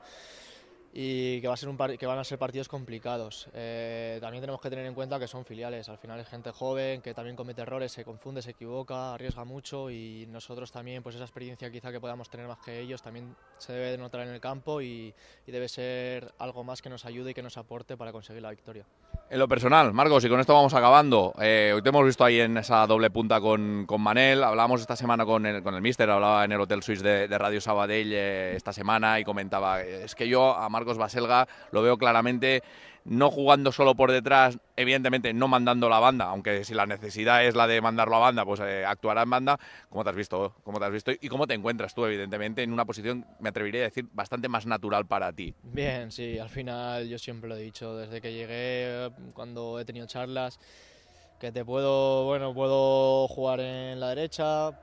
y que, va a ser un par que van a ser partidos complicados. Eh, también tenemos que tener en cuenta que son filiales, al final es gente joven que también comete errores, se confunde, se equivoca, arriesga mucho y nosotros también, pues esa experiencia quizá que podamos tener más que ellos también se debe de notar en el campo y, y debe ser algo más que nos ayude y que nos aporte para conseguir la victoria. En lo personal, Marcos, y con esto vamos acabando. Eh, hoy te hemos visto ahí en esa doble punta con, con Manel. Hablábamos esta semana con el, con el míster, hablaba en el Hotel Suisse de, de Radio Sabadell eh, esta semana y comentaba, es que yo a Marcos Baselga lo veo claramente no jugando solo por detrás, evidentemente no mandando la banda, aunque si la necesidad es la de mandarlo a banda, pues eh, actuará en banda. ¿Cómo te has visto? ¿Cómo te has visto? Y cómo te encuentras tú, evidentemente, en una posición, me atrevería a decir, bastante más natural para ti. Bien, sí, al final yo siempre lo he dicho, desde que llegué, cuando he tenido charlas, que te puedo, bueno, puedo jugar en la derecha,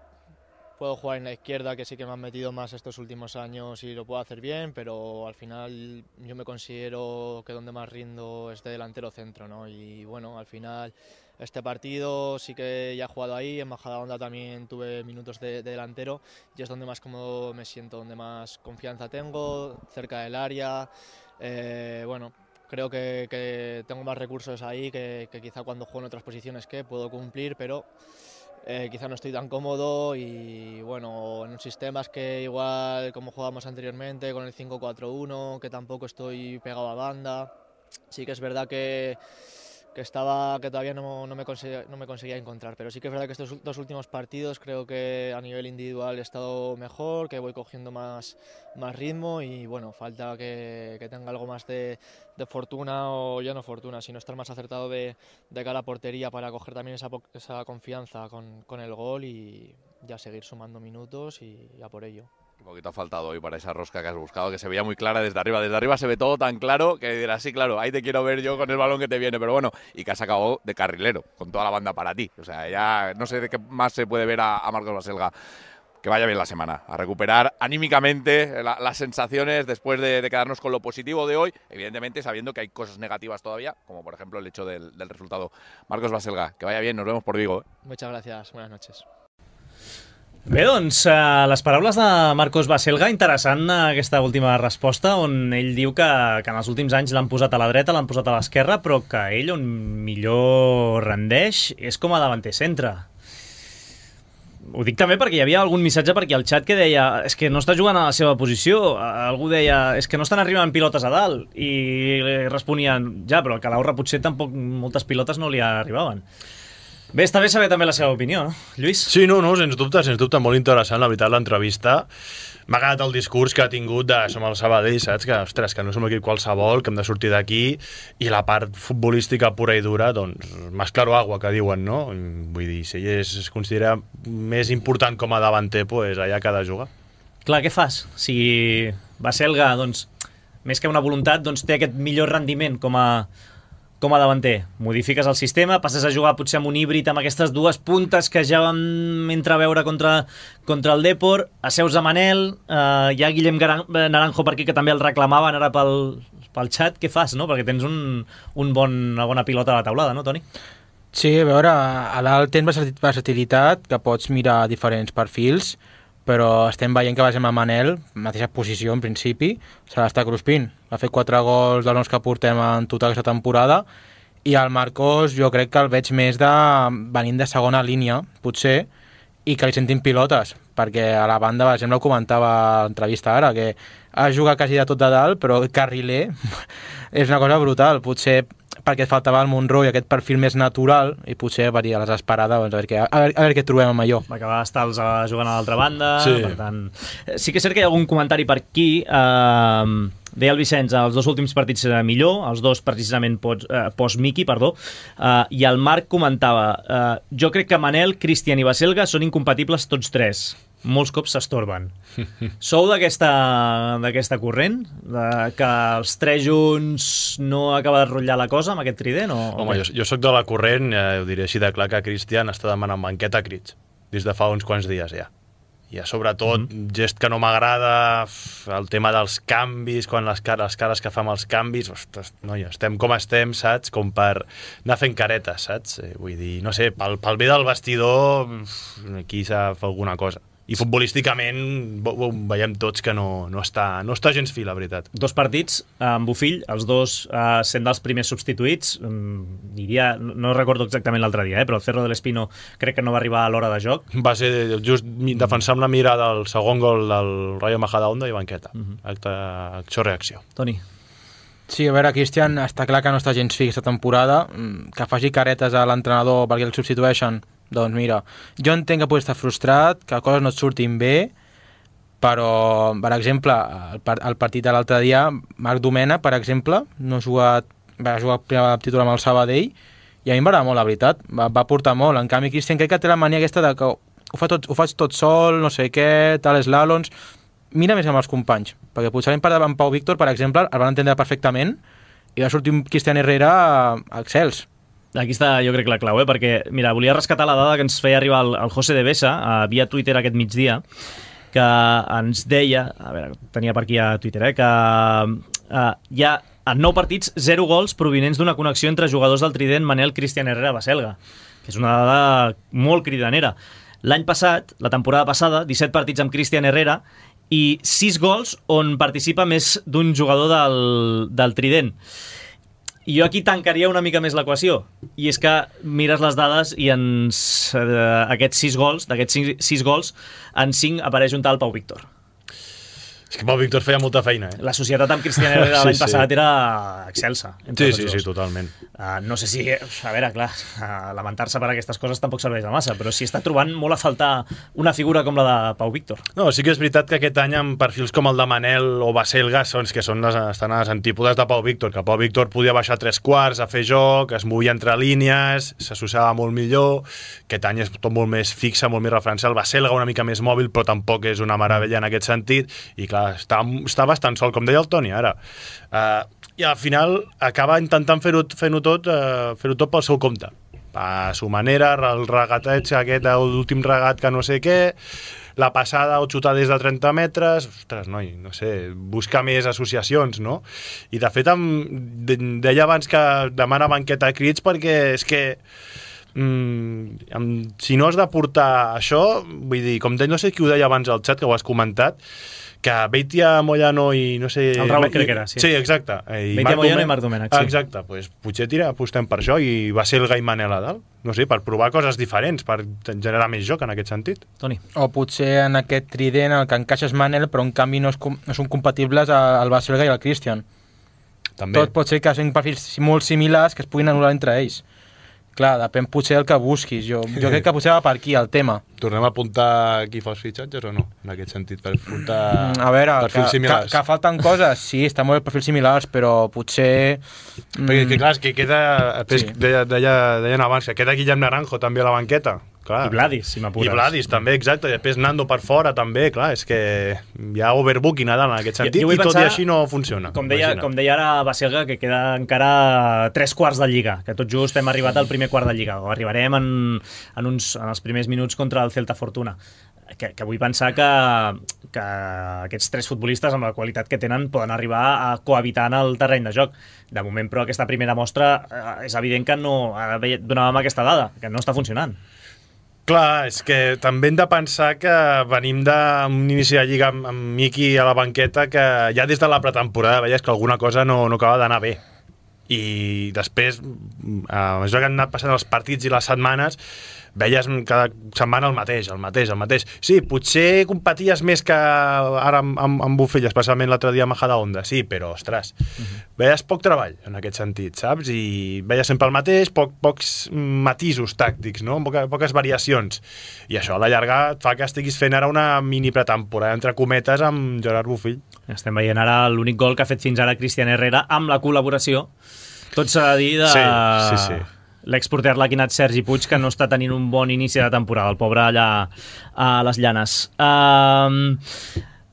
puedo jugar en la izquierda, que sí que me han metido más estos últimos años y lo puedo hacer bien, pero al final yo me considero que donde más rindo es de delantero centro, ¿no? Y bueno, al final este partido sí que ya he jugado ahí, en Majadahonda también tuve minutos de, de delantero y es donde más cómodo me siento, donde más confianza tengo, cerca del área, eh, bueno... Creo que, que tengo más recursos ahí que, que quizá cuando juego en otras posiciones que puedo cumplir, pero eh, quizá no estoy tan cómodo y bueno, en sistemas que igual como jugábamos anteriormente con el cinco cuatro uno, que tampoco estoy pegado a banda, sí que es verdad que, que estaba que todavía no, no, me conseguía, no me conseguía encontrar, pero sí que es verdad que estos dos últimos partidos creo que a nivel individual he estado mejor, que voy cogiendo más, más ritmo y bueno, falta que, que tenga algo más de, de fortuna, o ya no fortuna, sino estar más acertado de, de cara a portería para coger también esa, esa confianza con, con el gol y ya seguir sumando minutos y ya por ello. Un poquito ha faltado hoy para esa rosca que has buscado, que se veía muy clara desde arriba. Desde arriba se ve todo tan claro que dirás, sí, claro, ahí te quiero ver yo con el balón que te viene. Pero bueno, y que has acabado de carrilero, con toda la banda para ti. O sea, ya no sé de qué más se puede ver a, a Marcos Baselga. Que vaya bien la semana, a recuperar anímicamente la, las sensaciones después de, de quedarnos con lo positivo de hoy, evidentemente sabiendo que hay cosas negativas todavía, como por ejemplo el hecho del, del resultado. Marcos Baselga, que vaya bien, nos vemos por Vigo. ¿eh? Muchas gracias, buenas noches. Bé, doncs, uh, les paraules de Marcos Baselga, interessant aquesta última resposta, on ell diu que, que en els últims anys l'han posat a la dreta, l'han posat a l'esquerra, però que ell on millor rendeix és com a davanter centre. Ho dic també perquè hi havia algun missatge per aquí al xat que deia és que no està jugant a la seva posició. Algú deia és que no estan arribant pilotes a dalt i responien ja, però al Calahorra potser tampoc moltes pilotes no li arribaven. Bé, està bé saber també la seva opinió, no? Lluís? Sí, no, no, sens dubte, sens dubte, molt interessant, la veritat, l'entrevista. m'ha agradat el discurs que ha tingut de som el Sabadell, saps? Que, ostres, que no som equip qualsevol, que hem de sortir d'aquí, i la part futbolística pura i dura, doncs, más claro agua, que diuen, no? Vull dir, si ell es considera més important com a davanter, pues allà que ha de jugar. Clar, què fas? Si Baselga, doncs, més que una voluntat, doncs té aquest millor rendiment com a, com a davanter. Modifiques el sistema, passes a jugar potser amb un híbrid amb aquestes dues puntes que ja vam entreveure contra, contra el Depor, asseus a Manel, eh, hi ha Guillem Naranjo per aquí que també el reclamaven ara pel, pel xat. Què fas, no? Perquè tens un, un bon, una bona pilota a la taulada, no, Toni? Sí, a veure, a l'alt tens versatilitat, que pots mirar diferents perfils, però estem veient que basem a Manel, mateixa posició en principi, se l'està cruspint. Ha fet quatre gols dels nous que portem en total aquesta temporada, i el Marcos jo crec que el veig més de venint de segona línia, potser, i que li sentin pilotes, perquè a la banda, per exemple, ho comentava a l'entrevista ara, que ha jugat quasi de tot de dalt, però carriler és una cosa brutal. Potser perquè et faltava el Monroy, aquest perfil més natural, i potser per a les esperades, doncs, a, veure què, a, veure, a veure què trobem amb allò. Va acabar Stals jugant a l'altra banda, sí. Per tant... Sí que és cert que hi ha algun comentari per aquí. Eh, deia el Vicenç, els dos últims partits serà millor, els dos precisament post, eh, post-Miki, perdó, eh, i el Marc comentava, eh, jo crec que Manel, Cristian i Baselga són incompatibles tots tres. Molts cops s'estorben. Sou d'aquesta d'aquesta corrent? De que els tres junts no acaba de rotllar la cosa amb aquest trident? O, Home, jo, jo sóc de la corrent, eh, ho diré així de clar, que Cristian està demanant banqueta a crits des de fa uns quants dies ja. I sobretot, mm-hmm. gest que no m'agrada, el tema dels canvis, quan les cares, les cares que fa amb els canvis, ostres, noia, estem com estem, saps? Com per anar fent caretes, saps? Eh, vull dir, no sé, pel, pel bé del vestidor, aquí s'ha de fer alguna cosa. I futbolísticament veiem tots que no, no, està, no està gens fi, la veritat. Dos partits amb Bofill, els dos eh, sent dels primers substituïts, diria, no recordo exactament l'altre dia, eh, però el Cerro del Espino crec que no va arribar a l'hora de joc. Va ser just defensar amb la mira del segon gol del Rayo Majadahonda i banqueta. Uh-huh. Acte, acció-reacció. Toni. Sí, a veure, Cristian, està clar que no està gens fi aquesta temporada, que faci caretes a l'entrenador perquè el substitueixen. Doncs mira, jo entenc que pugui estar frustrat, que coses no et surtin bé, però, per exemple, el, part, el partit de l'altre dia, Marc Domena, per exemple, no ha jugat, va jugar primer titular amb el Sabadell, i a mi em va agradar molt, la veritat, va, va portar molt. En canvi, Cristian crec que té la mania aquesta de que ho, fa tot, ho faig tot sol, no sé què, tal, eslàlons, mira més amb els companys, perquè potser l'any part amb Pau Víctor, per exemple, el van entendre perfectament, i va sortir un Cristian Herrera excels. Aquí està, jo crec, la clau, eh? Perquè, mira, volia rescatar la dada que ens feia arribar el, el José de Besa uh, via Twitter aquest migdia, que ens deia, a veure, tenia per aquí a Twitter, eh? Que uh, hi ha en nou partits zero gols provinents d'una connexió entre jugadors del trident Manel, Cristian Herrera, Baselga, que és una dada molt cridanera. L'any passat, la temporada passada, disset partits amb Cristian Herrera i sis gols on participa més d'un jugador del, del trident. I jo aquí tancaria una mica més l'equació, i és que mires les dades i ens, eh, aquests sis gols, d'aquests sis, sis gols, en cinc apareix un tal Pau Víctor. És que Pau Víctor feia molta feina, eh? La societat amb Cristian Herrera sí, l'any sí. passat era excelsa. Sí, sí, sí, totalment. Uh, no sé si, a veure, clar, uh, lamentar-se per aquestes coses tampoc serveix de massa, però sí està trobant molt a faltar una figura com la de Pau Víctor. No, sí que és veritat que aquest any amb perfils com el de Manel o Baselga són, que són les, estan a les antípodes de Pau Víctor, que Pau Víctor podia baixar tres quarts a fer joc, es movia entre línies, s'associava molt millor, aquest any és tot molt més fixe, molt més referencial. Baselga una mica més mòbil, però tampoc és una meravella en aquest sentit, i clar, està, està bastant sol, com deia el Toni ara. Uh, I al final acaba intentant fer-ho fer-ho tot, uh, fer-ho tot pel seu compte. A su manera, el regateig aquest, l'últim regat que no sé què, la passada o xutar des de trenta metres, ostres, noi, no sé, busca més associacions, no? I de fet, em, deia abans que demana banqueta a crits perquè és que mm, si no has de portar això, vull dir, com de, no sé qui ho deia abans al xat, que ho has comentat, que Beitia, Moyano i no sé... El Raúl crec que era, sí. Sí, exacte. I Beitia, Moyano i Marc Domènech, sí. Exacte, doncs potser tira, apostem per això i va ser el Gai Manel a dalt. No sé, per provar coses diferents, per generar més joc en aquest sentit. Toni. O potser en aquest trident el que encaixa és Manel, però en canvi no, és, no són compatibles al Baselga i al Cristian. També. Tot pot ser que siguin perfils molt similars que es puguin anul·lar entre ells. Clar, depèn potser del que busquis. Jo, jo crec que potser va per aquí el tema. Tornem a apuntar qui fa els fitxatges o no? En aquest sentit, per apuntar A veure, que, perfils que, similars. que falten coses, sí, estan molt bé perfils similars, però potser... Perquè, que, clar, és que queda... Sí. Sí. Deia, deia, deien abans que queda Guillem Naranjo també a la banqueta. Clar. I Vladis, si m'apures. I Vladis, també, exacte. I després Nando per fora, també, clar. És que hi ha overbooking a dalt en aquest sentit, Jo- jo vull i tot pensar, i així no funciona. Com deia, Imagina't. com deia ara Baselga, que queda encara tres quarts de Lliga, que tot just hem arribat al primer quart de Lliga, o arribarem en, en, uns, en els primers minuts contra el Celta Fortuna. Que, que vull pensar que, que aquests tres futbolistes, amb la qualitat que tenen, poden arribar a cohabitar en el terreny de joc. De moment, però, aquesta primera mostra eh, és evident que no eh, donàvem aquesta dada, que no està funcionant. Clar, és que també hem de pensar que venim d'un inici de Lliga amb, amb Miki a la banqueta que ja des de la pretemporada veies que alguna cosa no, no acaba d'anar bé. I després, a mesura que han anat passant els partits i les setmanes, veies cada setmana el mateix, el mateix, el mateix. Sí, potser competies més que ara amb, amb, amb Buffell, especialment l'altre dia a Majadahonda, sí, però, ostres, uh-huh. veies poc treball en aquest sentit, saps? I veies sempre el mateix, poc, pocs matisos tàctics, no? Poca, poques variacions. I això a la llarga et fa que estiguis fent ara una mini pretemporada, entre cometes, amb Gerard Buffell. Estem veient ara l'únic gol que ha fet fins ara Cristian Herrera amb la col·laboració, tot s'ha de dir, de Sí, sí, sí. l'exporter laquinat Sergi Puig, que no està tenint un bon inici de temporada, el pobre allà a les Llanes. Um,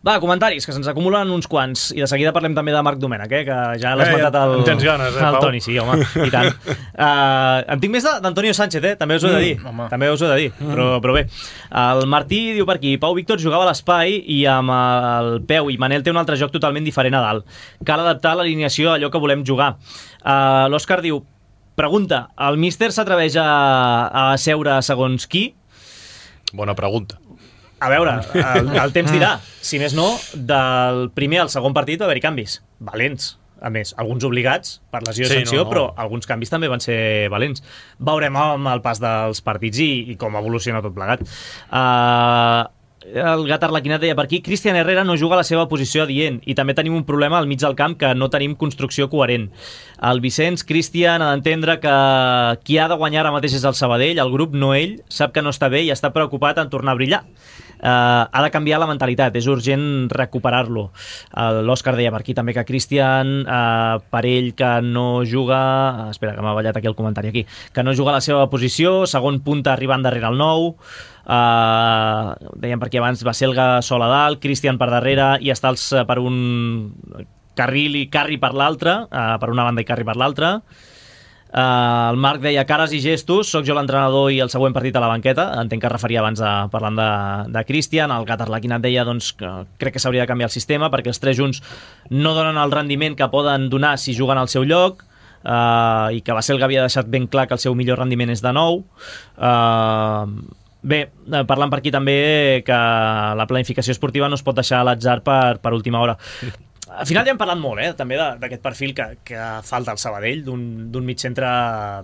va, comentaris, que se'ns acumulen uns quants, i de seguida parlem també de Marc Domènech, eh, que ja l'has Eh, matat el, en tens ganes, eh, el Pau? Toni, sí, home, i tant. Uh, en tinc més de- d'Antonio Sánchez, eh? També us ho he de dir, Mm, home. també us ho he de dir, però, però bé. El Martí diu per aquí, Pau Víctor jugava a l'espai i amb el peu, i Manel té un altre joc totalment diferent a dalt. Cal adaptar l'alineació a allò que volem jugar. Uh, L'Òscar diu, pregunta, el míster s'atreveix a, a seure segons qui? Bona pregunta. A veure, el, el temps dirà. Si més no, del primer al segon partit va haver-hi canvis. Valents. A més, alguns obligats per lesió Sí, de sanció, no, no. però alguns canvis també van ser valents. Veurem amb el pas dels partits i, i com evoluciona tot plegat. Uh, el gat arlequinat deia per aquí, Cristian Herrera no juga a la seva posició adient i també tenim un problema al mig del camp que no tenim construcció coherent. El Vicenç, Cristian, ha d'entendre que qui ha de guanyar ara mateix és el Sabadell, el grup, no ell, sap que no està bé i està preocupat en tornar a brillar. Uh, ha de canviar la mentalitat, és urgent recuperar-lo. Uh, L'Òscar deia per aquí també que Cristian, uh, per ell que no juga, uh, espera que m'ha ballat aquí el comentari aquí, que no juga a la seva posició, segon punta arribant darrere el nou, uh, dèiem per aquí abans Baselga sol a dalt, Cristian per darrere i Estals uh, per un carril i Carri per l'altre, uh, per una banda i Carri per l'altra. Uh, el Marc deia cares i gestos, sóc jo l'entrenador i el següent partit a la banqueta, entenc que es referia abans a, parlant de, de Cristian. El gat arlequinat deia doncs, que crec que s'hauria de canviar el sistema perquè els tres junts no donen el rendiment que poden donar si juguen al seu lloc, uh, i que Baselga havia deixat ben clar que el seu millor rendiment és de nou. Uh, bé, parlant per aquí també que la planificació esportiva no es pot deixar a l'atzar per, per última hora. Al final ja hem parlat molt, eh, també d'aquest perfil que, que falta al Sabadell, d'un mig centre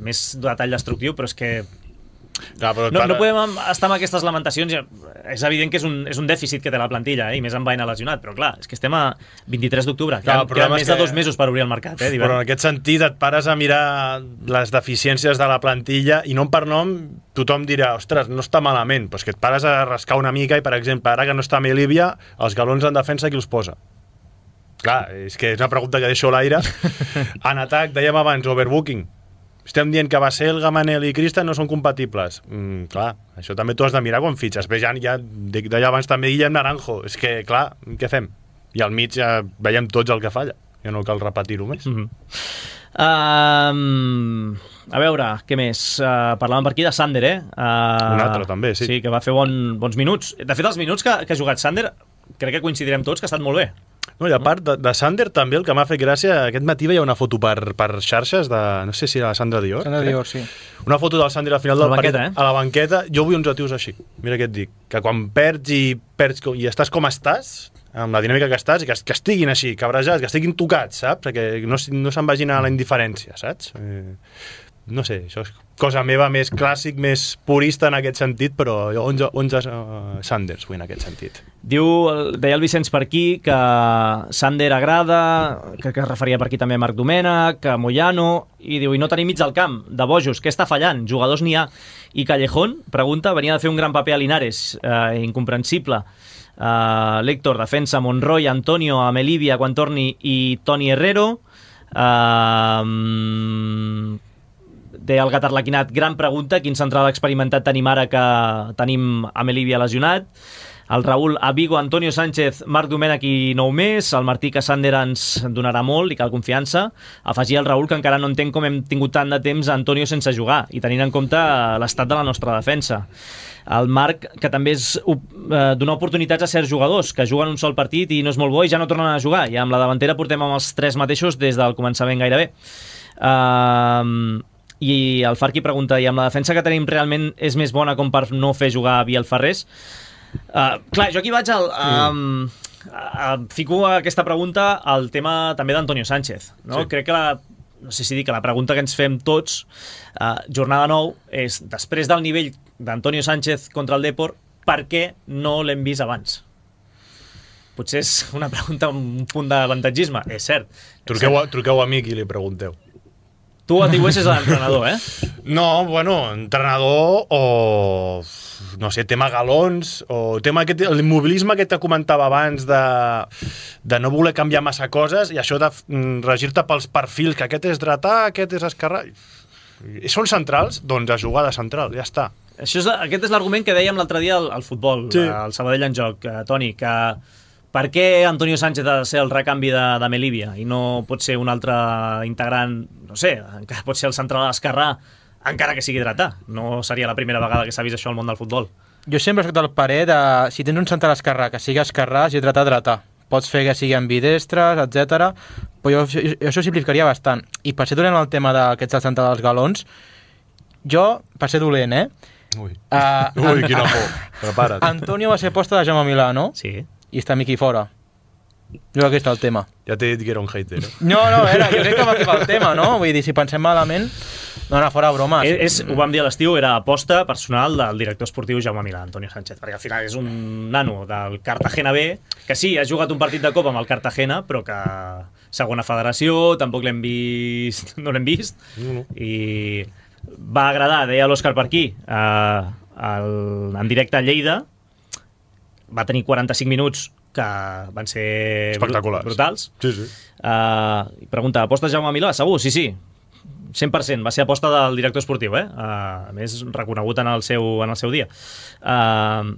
més de tall destructiu, però és que Clar, però no, para... no podem estar amb aquestes lamentacions. És evident que és un, és un dèficit que té la plantilla, eh, i més amb Baena lesionat, però clar, és que estem a vint-i-tres d'octubre, Clar, queden, el queden problema més és de que- dos mesos per obrir el mercat, eh, Però en aquest sentit et pares a mirar les deficiències de la plantilla i nom per nom tothom dirà, ostres, no està malament, però és que et pares a rascar una mica i, per exemple, ara que no està Melívia, els galons en defensa qui els posa? Clar, és que és una pregunta que deixo a l'aire. En atac, dèiem abans, overbooking. Estem dient que Baselga, Manel i Cristian no són compatibles. Mm, clar, això també t'ho has de mirar quan fitxes. Bé, ja, ja deia abans també Guillem Naranjo. És que, clar, què fem? I al mig ja veiem tots el que falla. Ja no cal repetir-ho més. Mm -hmm. um, a veure, què més? Uh, parlàvem per aquí de Sander, eh? Uh, Un altre, també, sí. Sí, que va fer bon, bons minuts. De fet, els minuts que, que ha jugat Sander, crec que coincidirem tots que ha estat molt bé. No, i a part de, de Sander també el que m'ha fet gràcia, aquest matí veia una foto per, per xarxes de, no sé si era la Sandra Dior, Sandra Dior, sí. una foto del Sander al final A la del partit, banqueta, eh? a la banqueta. Jo vull uns atius així, mira què et dic, que quan perds i perds i estàs com estàs, amb la dinàmica que estàs, que, que estiguin així, cabrejats, que estiguin tocats, saps? Que no, no se'n vagin a la indiferència, saps? Eh, no sé, això és cosa meva més clàssic, més purista en aquest sentit, però onze, onze uh, Sanders, vull, en aquest sentit. Diu, deia el Vicenç per aquí, que Sander agrada, que, que es referia per aquí també a Marc Domènech, a Moyano, i diu, i no tenim mig del camp, de bojos, què està fallant? Jugadors n'hi ha. I Callejón, pregunta, venia de fer un gran paper a Linares, eh, incomprensible. Uh, L'Héctor, defensa, Monroy, Antonio, Amelivia, quan torni, i Toni Herrero. Uh, Deia el Gat Arlequinat, gran pregunta, quin central experimentat tenim ara que tenim Amelivia lesionat. El Raül, a Vigo, Antonio Sánchez, Marc Domènech i nou més. El Martí, que Sander ens donarà molt i cal confiança. Afegia el Raül que encara no entenc com hem tingut tant de temps a Antonio sense jugar i tenint en compte l'estat de la nostra defensa. El Marc, que també és uh, donar oportunitats a certs jugadors que juguen un sol partit i no és molt bo i ja no tornen a jugar. I amb la davantera portem amb els tres mateixos des del començament gairebé. Uh, I el Farqui pregunta, i amb la defensa que tenim realment és més bona com per no fer jugar a Biel Ferrés? Uh, clar, jo aquí vaig al... Um, a, a, fico aquesta pregunta al tema també d'Antonio Sánchez, no? Sí. Crec que la, no sé si dir que la pregunta que ens fem tots, uh, jornada nou, és després del nivell d'Antonio Sánchez contra el Depor, per què no l'hem vist abans? Potser és una pregunta amb un punt d'avantatgisme, és cert. Truqueu a, truqueu a mi i li pregunteu. Tu atribueixes a l'entrenador, eh? No, bueno, entrenador o, no sé, tema galons, o tema aquest, l'immobilisme que te comentava abans de, de no voler canviar massa coses i això de regir-te pels perfils, que aquest és dretà, aquest és esquerrà. I són centrals? Doncs a jugar de central, ja està. Això és, aquest és l'argument que dèiem l'altre dia al, al futbol, sí. Al Sabadell en joc, eh, Toni, que per què Antonio Sánchez ha de ser el recanvi de, de Melivia i no pot ser un altre integrant, no sé, encara pot ser el central esquerrà, encara que sigui dretà. No seria la primera vegada que s'ha vist això al món del futbol. Jo sempre he estat al parer de, si tens un central esquerrà que sigui esquerrà, si dretà, dretà. Pots fer que sigui ambidestres, etcètera. Però jo, jo, això simplificaria bastant. I per ser dolent el tema d'aquests del central dels galons, jo, per ser dolent, eh? Ui, uh, Ui quina por. Prepara't. Antonio va ser posta de Jaume Milà, no? Sí. I està Miqui fora. Jo crec que està el tema. Ja t'he dit que era un hater. Eh? No, no, era, jo crec que va fer el tema, no? Vull dir, si pensem malament, no anar fora bromes. És, és, ho vam dir a l'estiu, era aposta personal del director esportiu Jaume Milà, Antonio Sánchez, perquè al final és un nano del Cartagena B, que sí, ha jugat un partit de Copa amb el Cartagena, però que segona federació, tampoc l'hem vist, no l'hem vist, no, no. I va agradar, deia l'Òscar per aquí, eh, el, en directe a Lleida, va tenir quaranta-cinc minuts que van ser espectaculars, brutals. Sí, sí. Uh, pregunta, aposta Jaume Milà? Segur? Sí, sí. cent per cent. Va ser aposta del director esportiu, eh? Uh, a més, reconegut en el seu, en el seu dia. Uh,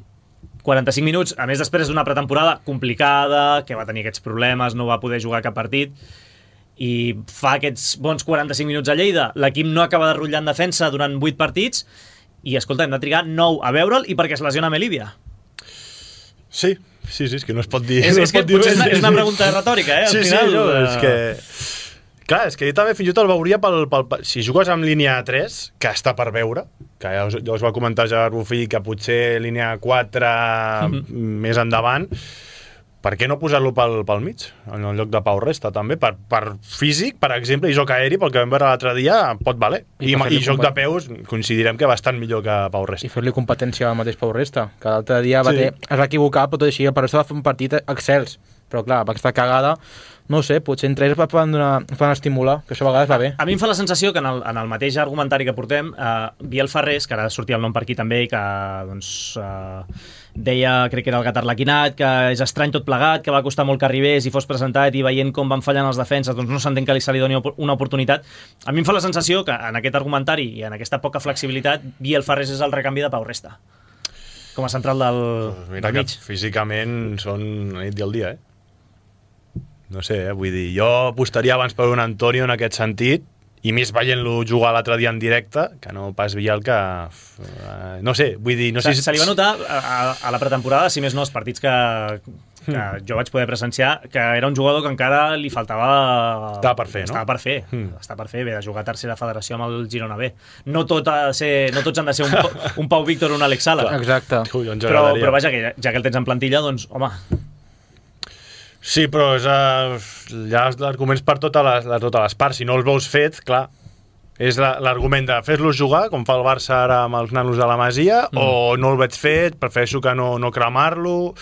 quaranta-cinc minuts, a més després d'una pretemporada complicada, que va tenir aquests problemes, no va poder jugar cap partit, i fa aquests bons quaranta-cinc minuts a Lleida. L'equip no acaba de rotllar en defensa durant vuit partits, i escolta, hem de trigar nou a veure'l i perquè es lesiona Melivia. Sí, sí, sí, és que no es pot dir... És, no és que dir potser és una, és una pregunta retòrica, eh? Al sí, final, sí, no, uh... és que... Clar, és que jo també fins i tot el veuria pel, pel, pel... Si jugues amb línia tres, que està per veure, que ja us, ja us va comentar Gerard Bufí, que potser línia quatre mm-hmm. més endavant, per què no posar-lo pel, pel mig, en el lloc de Pau Resta, també? Per, per físic, per exemple, i joc aeri, pel que vam veure l'altre dia, pot valer. I, I, i joc de peus, coincidirem que bastant millor que Pau Resta. I fer-li competència al mateix Pau Resta, que l'altre dia va sí. ter, es va equivocar, però tot així, el Pau Resta va fer un partit excels. Però clar, per aquesta cagada, no sé, potser entre ells poden, donar, poden estimular, que això a vegades va bé. A mi em fa la sensació que en el, en el mateix argumentari que portem, eh, Biel Ferrés, que ara sortia el nom per aquí també, i que doncs, eh, deia, crec que era el Gat Arlequinat, que és estrany tot plegat, que va costar molt que arribés i fos presentat, i veient com van fallant els defenses, doncs no s'entén que li se li doni una oportunitat. A mi em fa la sensació que en aquest argumentari i en aquesta poca flexibilitat, Biel Ferrés és el recanvi de Pau Resta, com a central del, pues mira del mig. Que físicament són la nit i el dia, eh? No sé, eh? Vull dir, jo apostaria abans per un Antonio en aquest sentit, i més veient-lo jugar l'altre dia en directe, que no pas Biel, que... Uh, no sé, vull dir... No sé se, si... se li va notar a, a la pretemporada, si més no, els partits que, que mm. jo vaig poder presenciar, que era un jugador que encara li faltava... Estava per fer, no? Estava per fer, mm. estava per fer, bé, de jugar a tercera federació amb el Girona B. No, tot ha de ser, no tots han de ser un, un Pau Víctor o un Alex Sala. Exacte. Ui, però, però vaja, que ja, ja que el tens en plantilla, doncs, home... Sí, però és, uh, hi ha arguments per totes les, totes les parts. Si no els veus fet, clar, És l'argument de fer-los jugar, com fa el Barça ara amb els nanos de la Masia, mm. o no el veig fet, prefereixo que no, no cremar-lo.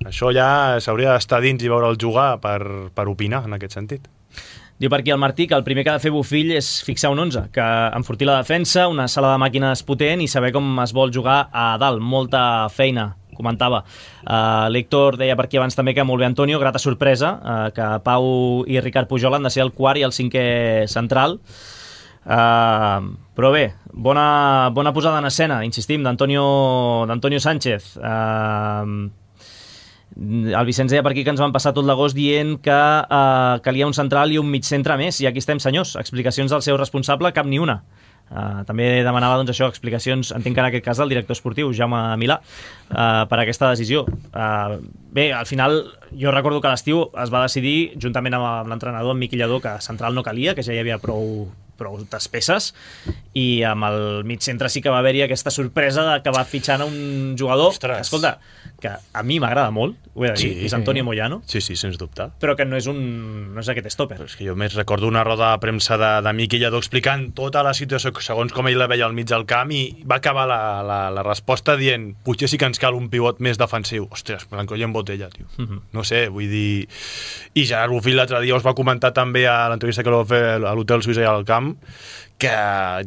Això ja s'hauria d'estar dins i veure'l jugar per, per opinar en aquest sentit. Diu per aquí el Martí que el primer que ha de fer Bofill és fixar un onze, que enfortir la defensa, una sala de màquines potent i saber com es vol jugar a dalt. Molta feina, comentava. Uh, L'Héctor deia per aquí abans també que molt bé Antonio, grata sorpresa, uh, que Pau i Ricard Pujol han de ser el quart i el cinquè central. Uh, però bé, bona, bona posada en escena, insistim, d'Antonio d'Antonio Sánchez. Uh, el Vicenç deia per aquí que ens van passar tot l'agost dient que uh, calia un central i un mig centre més, i aquí estem, senyors. Explicacions del seu responsable, cap ni una. Uh, també demanava doncs, això, explicacions, entenc que en aquest cas del director esportiu, Jaume Milà, uh, per aquesta decisió. Uh, bé, al final jo recordo que a l'estiu es va decidir, juntament amb l'entrenador, amb Miqui Lladó, que central no calia, que ja hi havia prou prou despeses, i amb el mig centre sí que va haver-hi aquesta sorpresa de que va fitxant un jugador. Ostres. Escolta, que a mi m'agrada molt, ho he de dir, sí, és Antonio Moyano, sí, sí, sens dubte, però que no és un no és aquest stopper. Però és que jo més recordo una roda de premsa de, de Miqui Lladó explicant tota la situació segons com ell la veia al mig del camp, i va acabar la, la, la resposta dient potser sí que ens cal un pivot més defensiu. Ostres, Blanco i en botella, tio. Uh-huh. No sé, vull dir... I Gerard Bofill l'altre dia us va comentar també a l'entrevista que va fer a l'Hotel Suïssa i al camp, que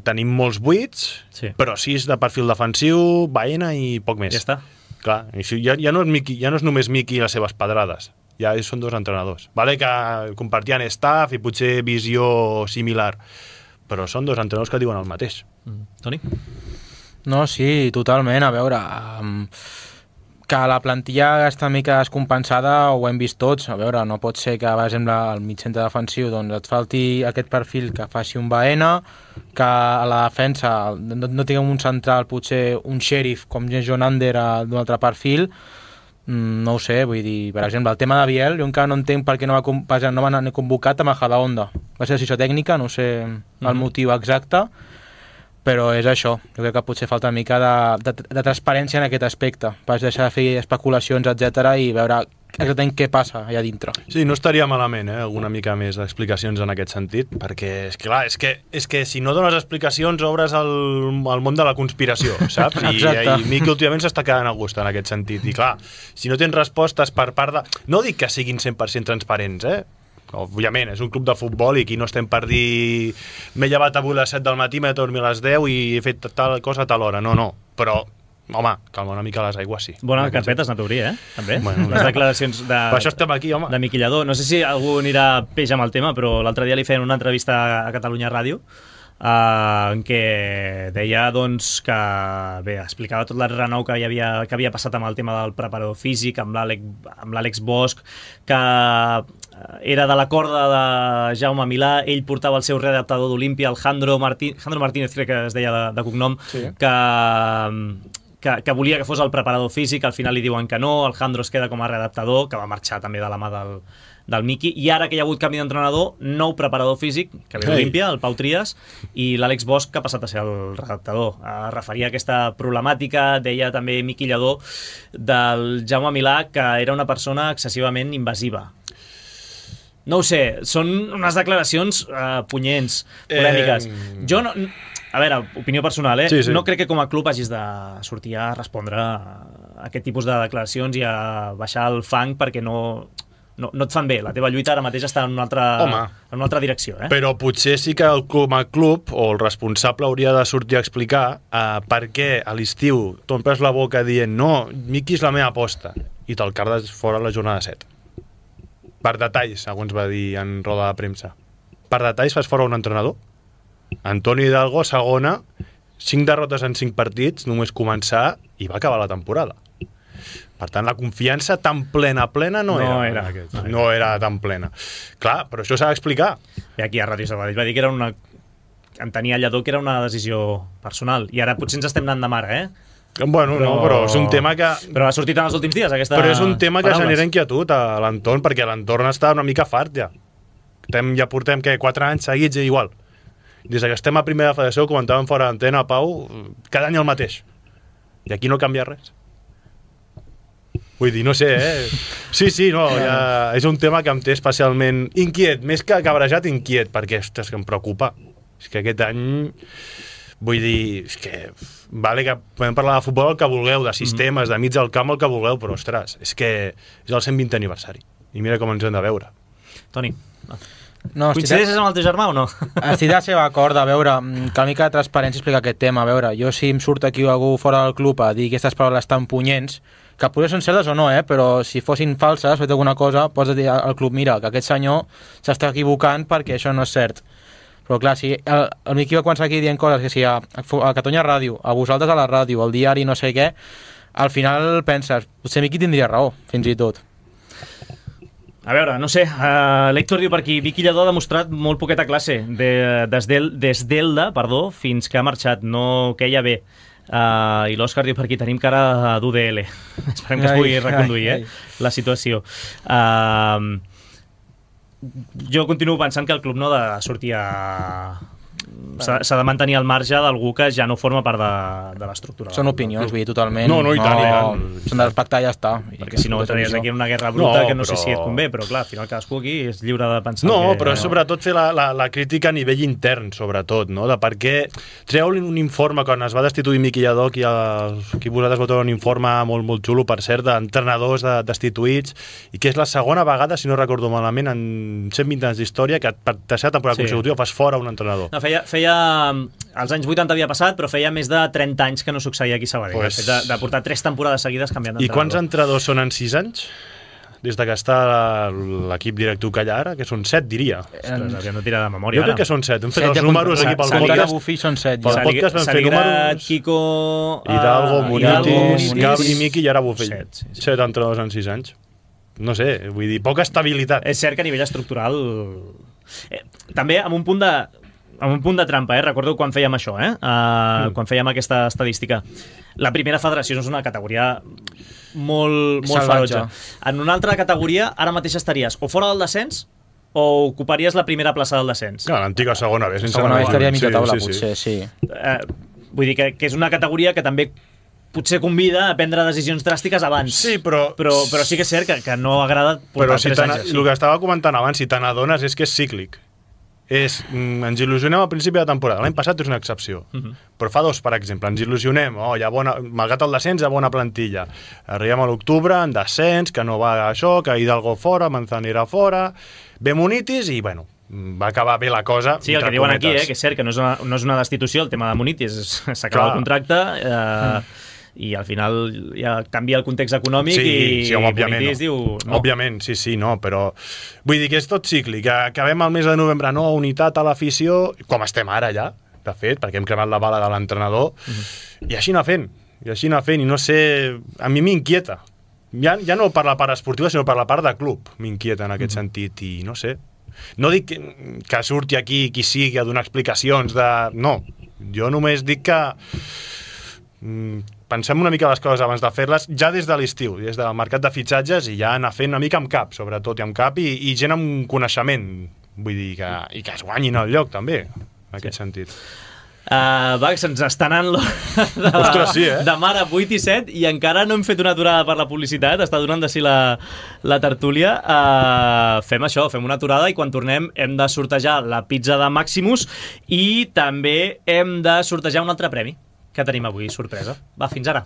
tenim molts buits, sí. però sis de perfil defensiu, Baena i poc més. Ja està. Clar, ja, ja, no és Miqui, ja no és només Miqui i les seves pedrades, ja són dos entrenadors. Vale que compartien staff i potser visió similar, però són dos entrenadors que diuen el mateix. Mm. Toni? No, sí, totalment. A veure... Um... que la plantilla està una mica descompensada ho hem vist tots. A veure, no pot ser que, per exemple, al mig centre defensiu doncs et falti aquest perfil que faci un Baena, que a la defensa no, no tinguem un central, potser un Sheriff com John Ander d'un altre perfil. Mm, no ho sé, vull dir, per exemple, el tema de Biel, jo encara no entenc per què no va, no va anar convocat a Majadahonda. Va ser decisió tècnica, no sé el mm-hmm. motiu exacte, però és això, jo crec que potser falta una mica de, de, de transparència en aquest aspecte, per deixar de fer especulacions, etcètera, i veure exactament què passa allà dintre. Sí, no estaria malament, eh, alguna mica més d'explicacions en aquest sentit, perquè, és que, clar, és que, és que si no dones explicacions obres el, el món de la conspiració, saps? I, i Miqui últimament s'està quedant a gust en aquest sentit, i clar, si no tens respostes per part de... No dic que siguin cent per cent transparents, eh? Òbviament, és un club de futbol i aquí no estem per dir m'he llevat avui a les set del matí, m'he de dormir a les deu i he fet tal cosa a tal hora. No, no, però, home, calma una mica les aigües, sí. Bona carpeta has anat a obrir, eh? També. Bueno, les declaracions de, per això estem aquí, home. De Miqui Lladó. No sé si algú anirà peix amb el tema, però l'altre dia li feien una entrevista a Catalunya Ràdio Uh, en què deia doncs, que bé, explicava tot l'enrenou que, havia, que havia passat amb el tema del preparador físic, amb l'Àlex Bosch, que era de la corda de Jaume Milà, ell portava el seu readaptador d'Olímpia, el Jandro, Martí, Jandro Martínez, crec que es deia de, de cognom, sí. que, que, que volia que fos el preparador físic, al final li diuen que no, el Jandro es queda com a readaptador, que va marxar també de la mà del del Miqui, i ara que hi ha hagut canvi d'entrenador, nou preparador físic, que ve d'Olímpia, el Pau Trias, i l'Àlex Bosch, que ha passat a ser el redactador. Es referia a aquesta problemàtica, deia també Miqui Lladó, del Jaume Milà, que era una persona excessivament invasiva. No ho sé, són unes declaracions uh, punyents, polèmiques. Eh... Jo no... A veure, opinió personal, eh? Sí, sí. No crec que com a club hagis de sortir a respondre a aquest tipus de declaracions i a baixar el fang perquè no... No, no et fan bé, la teva lluita ara mateix està en una altra, en una altra direcció. Eh? Però potser sí que el club, el club o el responsable hauria de sortir a explicar uh, per què a l'estiu t'omples la boca dient no, Miqui és la meva aposta i te'l cardes fora a la jornada set. Per detalls, segons va dir en roda de premsa. Per detalls fas fora un entrenador. Antonio Hidalgo, segona, cinc derrotes en cinc partits, només començar i va acabar la temporada. Per tant, la confiança tan plena, plena no, no era. era. No, no era tan plena. Clar, però això s'ha d'explicar. I aquí a Ràdio Sabadell va dir que era una... Entenia Lladó que era una decisió personal. I ara potser ens estem anant de mare, eh? Bueno, però... no, però és un tema que... Però ha sortit en els últims dies, aquesta... Però és un tema que paraules. genera inquietud a l'entorn, perquè l'entorn està una mica fart, ja. Ja portem, què, quatre anys seguits i igual. Des que estem a primera federació, comentàvem fora d'antena, Pau, cada any el mateix. I aquí no canvia res. Vull dir, no sé, eh? Sí, sí, no, ja és un tema que em té especialment inquiet, més que cabrejat, inquiet, perquè, ostres, que em preocupa. És que aquest any, vull dir, és que vale que podem parlar de futbol el que vulgueu, de sistemes, de mig del camp el que vulgueu, però ostres, és que és el cent vintè aniversari. I mira com ens hem de veure. Toni, no, coincideixes amb el teu germà o no? Estic de la seva acord, a veure, que una mica de transparència explica aquest tema. A veure, jo si em surt aquí algú fora del club a dir que aquestes paraules tan punyents, que potser són certes o no, eh? Però si fossin falses, fet alguna cosa, pots dir al club, mira, que aquest senyor s'està equivocant perquè això no és cert. Però clar, si el, el Miqui va començar aquí dient coses que si a, a Catalunya Ràdio, a vosaltres a la ràdio, al diari, no sé què, al final penses, potser Miqui tindria raó, fins i tot. A veure, no sé, uh, l'Héctor diu per aquí, Vicky Lledó ha demostrat molt poqueta classe, de, des d'Elda, perdó, fins que ha marxat, no queia bé. Uh, I l'Òscar diu per aquí, tenim cara d'U D L. Esperem que es pugui reconduir, eh, la situació. Uh, jo continuo pensant que el club no ha de sortir a... S'ha de mantenir al marge d'algú que ja no forma part de, de l'estructura. Són opinions, vull dir, totalment. No, no, i tant, no, i tant. S'han de respectar i ja està. Perquè si no entraries aquí en una guerra bruta, no, que no però... sé si et convé, però clar, al final cadascú aquí és lliure de pensar. No, que... però sobretot fer la, la, la crítica a nivell intern, sobretot, no? De per què treu un informe, quan es va destituir Miqui Lledó, aquí, aquí vosaltres vau treure un informe molt, molt xulo, per cert, d'entrenadors de, destituïts, i que és la segona vegada, si no recordo malament, en cent vint anys d'història, que per tercera temporada sí. consecutiva fas fora un entrenador. No, feia, feia als anys vuitanta havia passat, però feia més de trenta anys que no succeïa aquí a Sabadell. Pues... De, de portar tres temporades seguides canviant d'entrenador. I quants entrenadors són en sis anys? Des de que està l'equip directiu que hi ha ara, que són set, diria. Ostres, havíem de tirar de memòria. Jo crec ara. que són set. Hem fet set els números aquí pel podcast. Bufí són set. Pel podcast vam fer números. Quico... Hidalgo, Munitis, Gabri, Miqui i ara Bufí. Set, sí, sí. set entrenadors en sis anys. No sé, vull dir, poca estabilitat. És cert que a nivell estructural... Eh, també amb un punt de... amb un punt de trampa, eh? Recordo quan fèiem això, eh? Uh, mm. Quan fèiem aquesta estadística. La primera federació és una categoria molt, molt ferotge. En una altra categoria, ara mateix estaries o fora del descens o ocuparies la primera plaça del descens. No, l'antiga segona B. Segona B estaria a mitja taula, sí, potser, sí. sí. Uh, vull dir que, que és una categoria que també potser convida a prendre decisions dràstiques abans. Sí, però... Però, però sí que és cert que, que no agrada portar però si tres anys així. El que estava comentant abans, si te n'adones, és que és cíclic. És, mm, ens il·lusionem al principi de temporada. L'any passat és una excepció. Uh -huh. Però fa dos, per exemple, ens il·lusionem. Oh, hi ha bona, malgrat el descens, hi ha bona plantilla. Arribem a l'octubre, en descens, que no va això, que Hidalgo fora, Manzanera fora, ve Munitis i, bueno, va acabar bé la cosa. Sí, el que diuen aquí, eh, que és cert que no és una, no és una destitució, el tema de Munitis. S'acaba el contracte... Eh, mm. i al final ja canvia el context econòmic sí, i, sí, òbviament, no. diu... No. Òbviament, sí, sí, no, però vull dir que és tot cíclic, que acabem el mes de novembre, no, unitat a l'afició, com estem ara ja, de fet, perquè hem cremat la bala de l'entrenador, uh-huh. i així anar fent, i així anar fent, i no sé, a mi m'inquieta, ja, ja no per la part esportiva, sinó per la part de club, m'inquieta en aquest uh-huh. sentit, i no sé, no dic que, que surti aquí qui sigui a donar explicacions de... No, jo només dic que... Mm, pensem una mica les coses abans de fer-les, ja des de l'estiu, des del mercat de fitxatges, i ja anar fent una mica amb cap, sobretot, i amb cap, i, i gent amb coneixement, vull dir, que, i que es guanyin el lloc, també, en aquest sí. sentit. Uh, va, se'ns està anant de, Ostres, sí, eh? de mar a vuit i set i encara no hem fet una aturada per la publicitat, està donant de si la, la tertúlia. Uh, fem això, fem una aturada i quan tornem hem de sortejar la pizza de Maximus i també hem de sortejar un altre premi que tenim avui, sorpresa. Va, fins ara.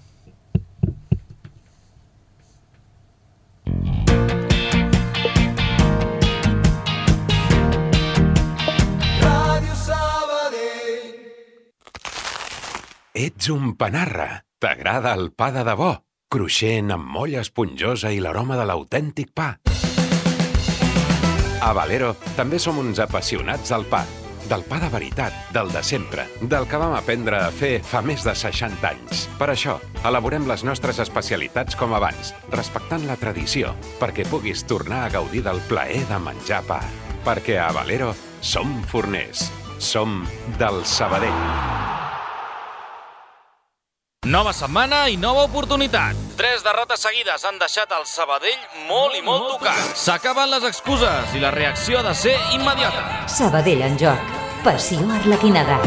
Ràdio Sabadell. Ets un panarra. T'agrada el pa de debò? Cruixent, amb molla esponjosa i l'aroma de l'autèntic pa. A Valero també som uns apassionats del pa. Del pa de veritat, del de sempre, del que vam aprendre a fer fa més de seixanta anys. Per això, elaborem les nostres especialitats com abans, respectant la tradició, perquè puguis tornar a gaudir del plaer de menjar pa. Perquè a Valero som forners, som del Sabadell. Nova setmana i nova oportunitat. Tres derrotes seguides han deixat el Sabadell molt i molt tocat. S'acaben les excuses i la reacció ha de ser immediata. Sabadell en joc. Passió arlequinada.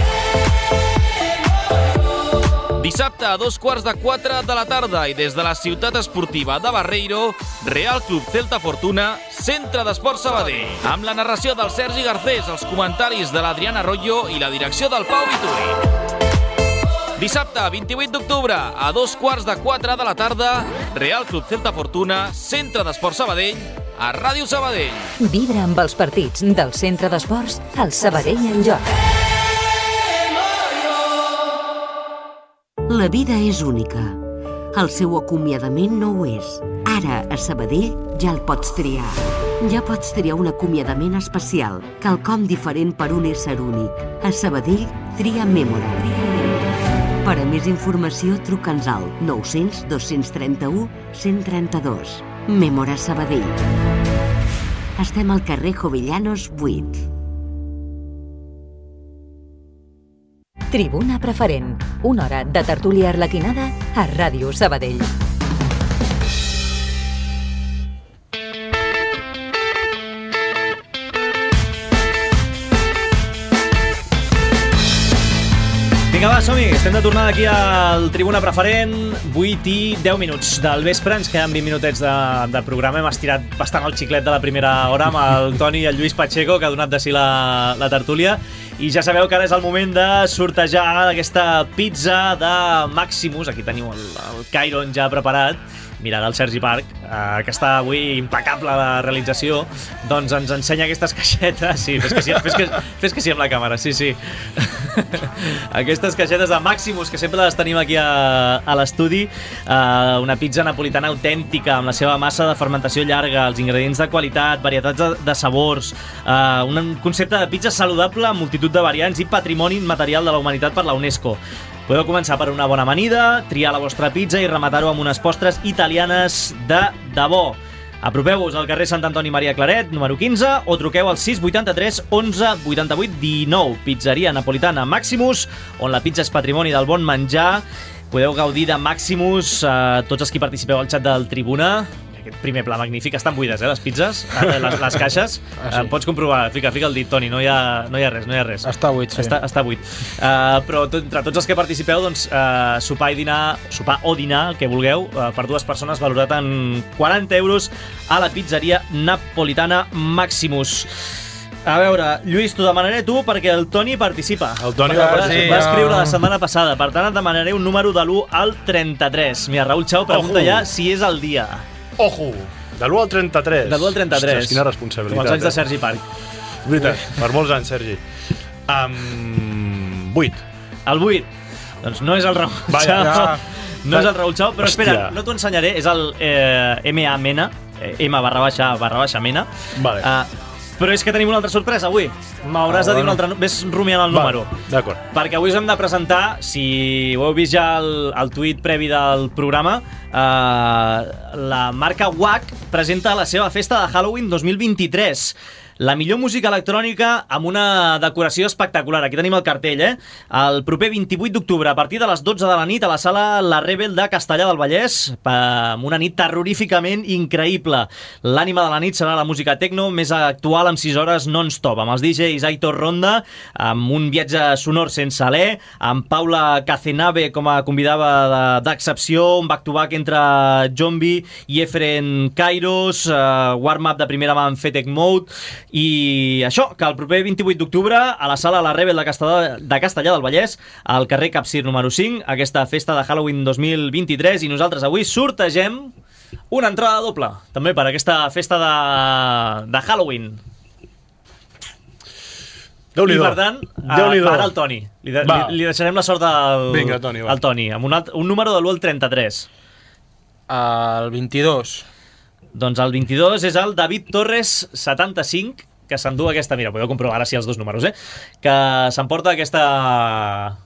disset Dissabte a dos quarts de quatre de la tarda i des de la ciutat esportiva de Barreiro, Real Club Celta Fortuna, Centre d'Esports Sabadell. Amb la narració del Sergi Garcés, els comentaris de l'Adriana Arroyo i la direcció del Pau Vituri. Dissabte, vint-i-vuit d'octubre, a dos quarts de quatre de la tarda, Real Club Celta Fortuna, Centre d'Esports Sabadell, a Ràdio Sabadell. Vibra amb els partits del Centre d'Esports, el Sabadell en joc. La vida és única. El seu acomiadament no ho és. Ara, a Sabadell, ja el pots triar. Ja pots triar un acomiadament especial, quelcom diferent per un ésser únic. A Sabadell, tria Mémora. Per a més informació, truca'ns al nou cents, dos-cents trenta-u, cent trenta-dos. Mémora Sabadell. Estem al carrer Jovellanos vuit. Tribuna Preferent, una hora de tertúlia arlequinada a Ràdio Sabadell. Vinga, va, som-hi. Estem de tornada aquí al Tribuna Preferent, vuit i deu minuts del vespre. Ens queden vint minutets de, de programa. Hem estirat bastant el xiclet de la primera hora amb el Toni i el Lluís Pacheco, que ha donat de si la, la tertúlia. I ja sabeu que ara és el moment de sortejar aquesta pizza de Maximus. Aquí teniu el, el Cairon ja preparat. Mira, del Sergi Parc, eh, que està avui impecable la realització, doncs ens ensenya aquestes caixetes. Sí, fes que sí, fes que, fes que sí amb la càmera, sí, sí. Aquestes caixetes de Maximus, que sempre les tenim aquí a, a l'estudi. Eh, una pizza napolitana autèntica, amb la seva massa de fermentació llarga, els ingredients de qualitat, varietats de, de sabors, eh, un concepte de pizza saludable amb multitud de variants i patrimoni immaterial de la humanitat per la UNESCO. Podeu començar per una bona amanida, triar la vostra pizza i rematar-ho amb unes postres italianes de debò. Apropeu-vos al carrer Sant Antoni Maria Claret, número quinze, o truqueu al sis vuitanta-tres onze vuitanta-vuit dinou. Pizzeria napolitana Maximus, on la pizza és patrimoni del bon menjar. Podeu gaudir de Maximus, eh, tots els que participeu al xat del Tribuna. Aquest primer pla magnífic. Estan buides, eh, les pizzas, eh, les, les caixes. Ah, sí. eh, pots comprovar, fica, fica el dit, Toni, no hi ha, no hi ha res, no hi ha res. Està buit, sí. Està, està buit. Uh, però tot, entre tots els que participeu, doncs, uh, sopar i dinar, sopar o dinar, el que vulgueu, uh, per dues persones, valorat en quaranta euros a la pizzeria napolitana Maximus. A veure, Lluís, t'ho demanaré tu perquè el Toni participa. El Toni va participar. Va escriure la setmana passada, per tant et demanaré un número de l'u al trenta-tres. Mira, Raül Chau pregunta ja si és el dia. Ojo! De l'u al trenta-tres. De l'u al trenta-tres. Ostres, quina responsabilitat. Com els anys de eh? Sergi Parc. Veritat, per molts anys, Sergi. Um, vuit. El vuit. Doncs no és el Raül Vaja, Chau. ja. No és el Raül Chau, però Hòstia. espera, no t'ho ensenyaré. És el eh, M A Mena. Eh, M barra baixa barra baixa Mena. Vale. Uh, però és que tenim una altra sorpresa avui. M'hauràs Ah, de dir un bueno. altre... Ves rumiant el número. Vale, d'acord. Perquè avui us hem de presentar, si ho heu vist ja el, el tuit previ del programa, eh, la marca W A C presenta la seva festa de Halloween dos mil vint-i-tres. La millor música electrònica amb una decoració espectacular. Aquí tenim el cartell, eh? El proper vint-i-vuit d'octubre, a partir de les dotze de la nit, a la sala La Rebel de Castellar del Vallès, amb una nit terroríficament increïble. L'ànima de la nit serà la música techno més actual amb sis hores non-stop, amb els D Js Aitor Ronda, amb un viatge sonor sense alè, amb Paula Cacenave com a convidada d'excepció, un back-to-back entre Jombi i Efren Kairos, uh, warm-up de primera mà en Fetec Mode. I això, que el proper vint-i-vuit d'octubre a la sala La Rebel de Castellar, de Castellar del Vallès, al carrer Capcir número cinc, aquesta festa de Halloween dos mil vint-i-tres, i nosaltres avui sortegem una entrada doble, també per aquesta festa de, de Halloween. I per tant, ara el Toni. Li, de, li, li deixarem la sort al, Vinga, Toni, va. al Toni, amb un, alt, un número de l'u al trenta-tres. El vint-i-dos. Doncs el vint-i-dos és el David Torres setanta-cinc, que s'endú aquesta, mira, podeu comprovar ara si els dos números, eh? Que s'emporta aquesta...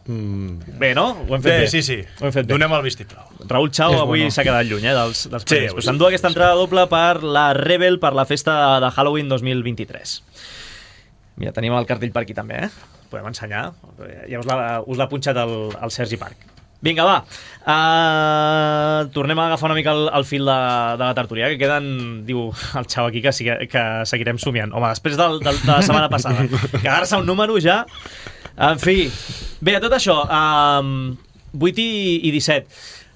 Mm. Bé, no? Ho hem fet bé. bé. Sí, sí, Ho hem fet bé. Donem el vistiplau. Raül Chau avui bueno. s'ha quedat lluny, eh, dels, dels Sí, premiers. Pues s'endú aquesta entrada doble per la Rebel, per la festa de Halloween dos mil vint-i-tres. Mira, tenim el cartell per aquí també, eh? Podem ensenyar. Ja us l'ha, us l'ha punxat el, el Sergi Parc. Vinga, va. Uh, tornem a agafar una mica el, el fil de, de la tertúlia, que queden, diu el Xau aquí, que, sigue, que seguirem somiant. Home, després del, del, de la setmana passada. Quedar-se un número ja... En fi. Bé, a tot això, um, vuit i disset.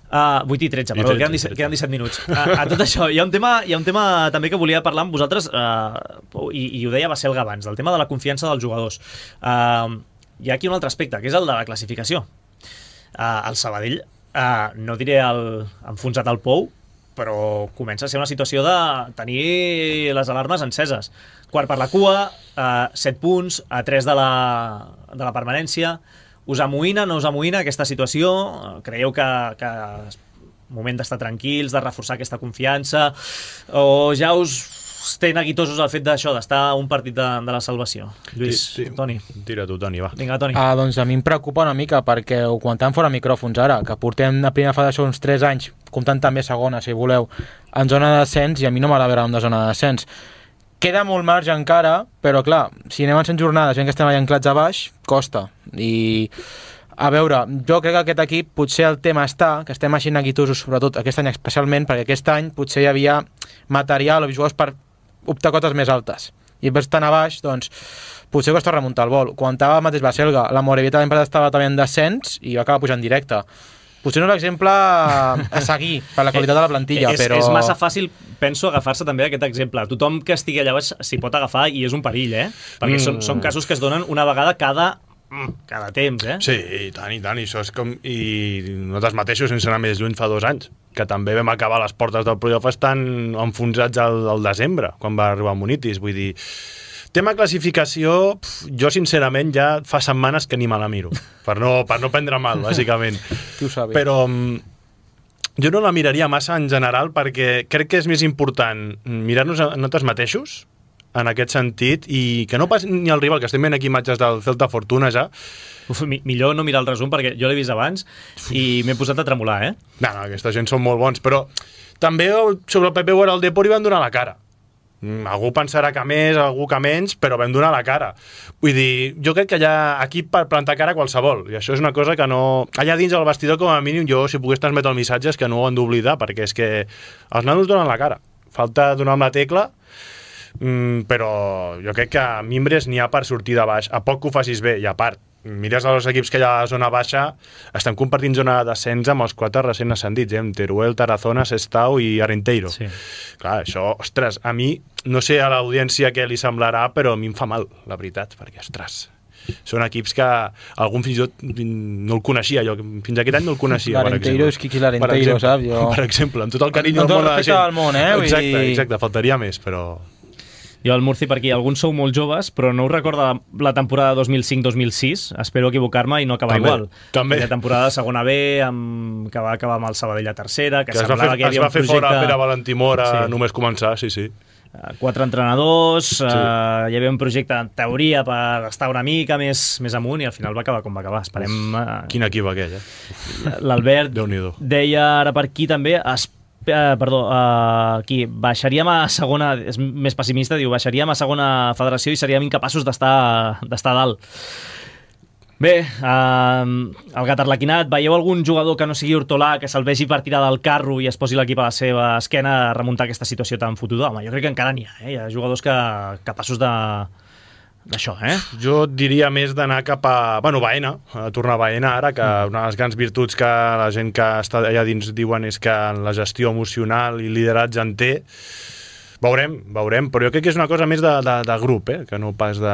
Uh, vuit i tretze, perdó, queden disset, queden disset minuts. A, a tot això, hi ha un tema, hi ha un tema també que volia parlar amb vosaltres, uh, i, i ho deia va ser el Gavans, del tema de la confiança dels jugadors. Uh, hi ha aquí un altre aspecte, que és el de la classificació. Uh, el Sabadell, uh, no diré el, enfonsat al pou, però comença a ser una situació de tenir les alarmes enceses. Quart per la cua, uh, set punts, a tres de la, de la permanència. Us amoïna, no us amoïna aquesta situació? Creieu que, que és moment d'estar tranquils, de reforçar aquesta confiança? O ja us té neguitosos el fet d'això, d'estar a un partit de, de la salvació? Lluís, sí, sí. Toni. Tira tu, Toni, va. Vinga, Toni. Ah, doncs a mi em preocupa una mica, perquè ho comentàvem fora micròfons ara, que portem a primera fase uns tres anys, comptant també segona, si voleu, en zona de descens, i a mi no m'agrada de zona de descens. Queda molt marge encara, però clar, si anem en cent jornades, veient que estem allà anclats a baix, costa. I, a veure, jo crec que aquest equip potser el tema està, que estem així neguitosos, sobretot aquest any especialment, perquè aquest any potser hi havia material o jugadors per optar cotes més altes. I per estar a baix, doncs, potser costa remuntar el vol. Quan estava el mateix Baselga, la Morevieta l'any passat estava també en descens i va acabar pujant directe. Potser no és l'exemple a seguir per la qualitat de la plantilla, és, però... És massa fàcil, penso, agafar-se també aquest exemple. Tothom que estigui allà baix s'hi pot agafar i és un perill, eh? Perquè mm. són, són casos que es donen una vegada cada, cada temps, eh? Sí, i tant, i tant. I això és com... I nosaltres mateixos, sense anar més lluny, fa dos anys, que també vam acabar les portes del playoff estan enfonsats al, al desembre, quan va arribar Munitis. Vull dir... Tema classificació, pf, jo sincerament ja fa setmanes que ni me la miro, per no, per no prendre mal, bàsicament. Tu ho saps. Però jo no la miraria massa en general perquè crec que és més important mirar-nos a nosaltres mateixos, en aquest sentit, i que no passi ni el rival, que estem veient aquí imatges del Celta Fortuna ja. Uf, mi, millor no mirar el resum perquè jo l'he vist abans i m'he posat a tremolar, eh? No, no, aquesta gent són molt bons, però també sobre el P P Guara al Depor hi van donar la cara. Algú pensarà que més, algú que menys, però vam donar la cara. Vull dir, jo crec que hi ha equip per plantar cara a qualsevol, i això és una cosa que no... Allà dins del vestidor, com a mínim, jo, si pogués transmetre el missatge, és que no ho han d'oblidar, perquè és que els nanos donen la cara. Falta donar amb la tecla, mm, però jo crec que a Mimbres n'hi ha per sortir de baix. A poc que ho facis bé, i a part, mires els equips que hi ha a la zona baixa, estem compartint zona de descens amb els quatre recent ascendits, eh? Amb Teruel, Tarazona, Sestao i Arenteiro. Sí. Clar, això, ostres, a mi, no sé a l'audiència què li semblarà, però a mi em fa mal, la veritat, perquè, ostres, són equips que algun fins i tot no el coneixia, jo fins aquest any no el coneixia, per exemple. L'Arenteiro és qui qui l'Arenteiro, saps? Jo... Per exemple, amb tot el carinyo del món de la gent. Del món, eh? Exacte, exacte, faltaria més, però... Jo al Murci per aquí, alguns sou molt joves, però no us recorda la temporada dos mil cinc dos mil sis, espero equivocar-me i no acabar també, igual. També. La temporada de segona B, amb... que va acabar amb el Sabadell a tercera, que, que semblava fer, que hi havia un projecte... Es va fer fora Pere Valentimor a sí. només començar, sí, sí. Quatre entrenadors, sí. uh, hi havia un projecte en teoria per estar una mica més, més amunt i al final va acabar com va acabar. Esperem... Uh... Quin equip aquell, eh? L'Albert deia ara per aquí també... Es Uh, perdó, uh, aquí, baixaríem a segona, és més pessimista, diu, baixaríem a segona federació i seríem incapaços d'estar d'estar dalt. Bé, uh, el gat arlequinat, veieu algun jugador que no sigui Hortolà, que se'l vegi per tirar del carro i es posi l'equip a la seva esquena a remuntar aquesta situació tan fotuda? Home, jo crec que encara n'hi ha, eh? Hi ha jugadors que, capaços de... d'això, eh? Jo diria més d'anar cap a... Bueno, Baena, a tornar a Baena ara, que mm. una de les grans virtuts que la gent que està allà dins diuen és que la gestió emocional i lideratge en té. Veurem, veurem, però jo crec que és una cosa més de, de, de grup, eh? Que no pas de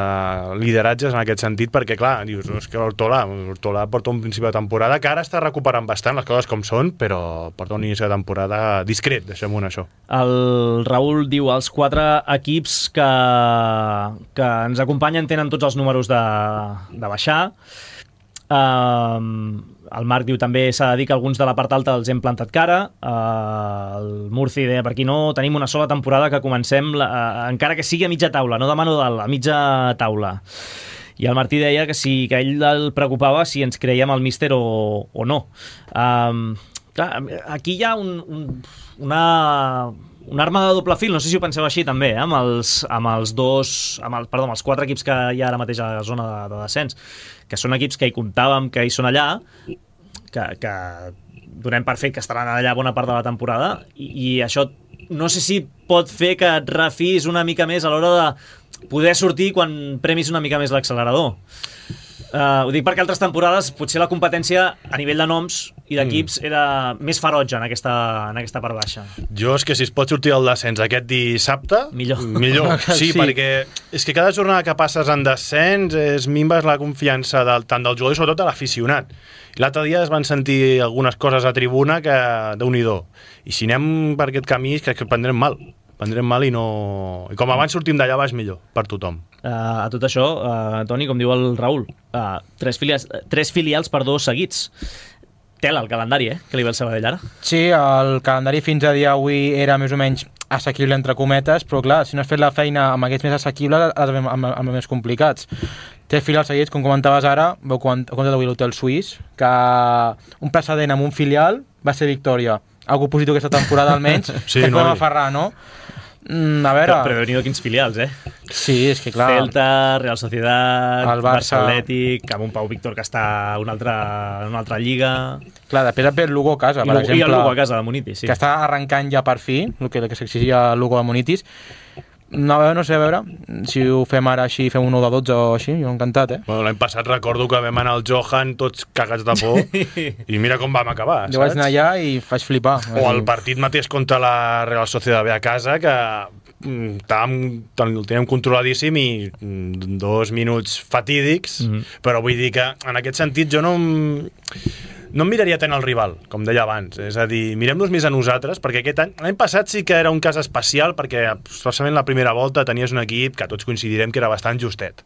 lideratges en aquest sentit, perquè clar, dius, no, és que Hortolà, Hortolà porta un principi de temporada que ara està recuperant bastant les coses com són, però porta un inici de temporada discret, deixem-ho en això. El Raül diu, els quatre equips que, que ens acompanyen tenen tots els números de, de baixar. Uh, el Marc diu també s'ha de dir que alguns de la part alta els hem plantat cara. Uh, el Murci deia per aquí no, tenim una sola temporada que comencem la, uh, encara que sigui a mitja taula, no demano dalt, a mitja taula. I el Martí deia que sí, que ell el preocupava si ens creiem el míster o, o no. Uh, clar, aquí hi ha un, un, una... una arma de doble fil, no sé si ho penseu així també, eh? amb, els, amb els dos, amb el, perdó, amb els quatre equips que hi ha ara mateix a la zona de, de descens, que són equips que hi comptàvem, que hi són allà, que, que donem per fet que estaran allà bona part de la temporada, i, i això no sé si pot fer que et refis una mica més a l'hora de poder sortir quan premis una mica més l'accelerador. Uh, ho dic perquè altres temporades potser la competència a nivell de noms i d'equips mm. era més ferotge en aquesta, en aquesta part baixa. Jo és que si es pot sortir el descens aquest dissabte, millor. millor. Sí, sí, perquè és que cada jornada que passes en descens es minves la confiança del, tant del jugador i sobretot de l'aficionat. L'altre dia es van sentir algunes coses a tribuna que déu-n'hi-do. I si anem per aquest camí és que prendrem mal. Prendrem mal i no... I com abans sortim d'allà baix millor, per tothom. Uh, a tot això, uh, Toni, com diu el Raül, uh, tres, filials, tres filials per dos seguits. Tela el calendari, eh? Que li ve el Sabadell ara. Sí, el calendari fins a dia avui era més o menys assequible entre cometes, però clar, si no has fet la feina amb aquests més assequibles, els amb, amb, amb els més complicats. Tres filials seguits, com comentaves ara, veu compte d'avui l'Hotel Suís, que un precedent amb un filial va ser victòria. Algú positiu aquesta temporada almenys, sí, que no, podem aferrar, no? Mm, a veure... Però, però déu-n'hi-do quins filials, eh? Sí, és que clar... Celta, Real Sociedad, el Barça, Barça Atlètic, amb un Pau Víctor que està en una altra, en una altra lliga... Clar, després ve el Lugo a casa, I per Lugo, exemple... I el Lugo a casa de Munitis, sí. Que està arrencant ja per fi, el que, que s'exigia el Lugo de Munitis. No, no sé, a veure, si ho fem ara així, fem un nou de dotze o així, jo encantat, eh? Bueno, l'any passat recordo que vam anar al Johan tots cagats de por i mira com vam acabar, jo saps? Vaig anar allà i faig flipar. O el partit mateix contra la Real Sociedad B a casa, que estàvem, el teníem controladíssim i dos minuts fatídics, mm-hmm. però vull dir que en aquest sentit jo no... no em miraria tant el rival, com deia abans. És a dir, mirem-nos més a nosaltres, perquè aquest any, l'any passat sí que era un cas especial, perquè especialment la primera volta tenies un equip que tots coincidirem que era bastant justet.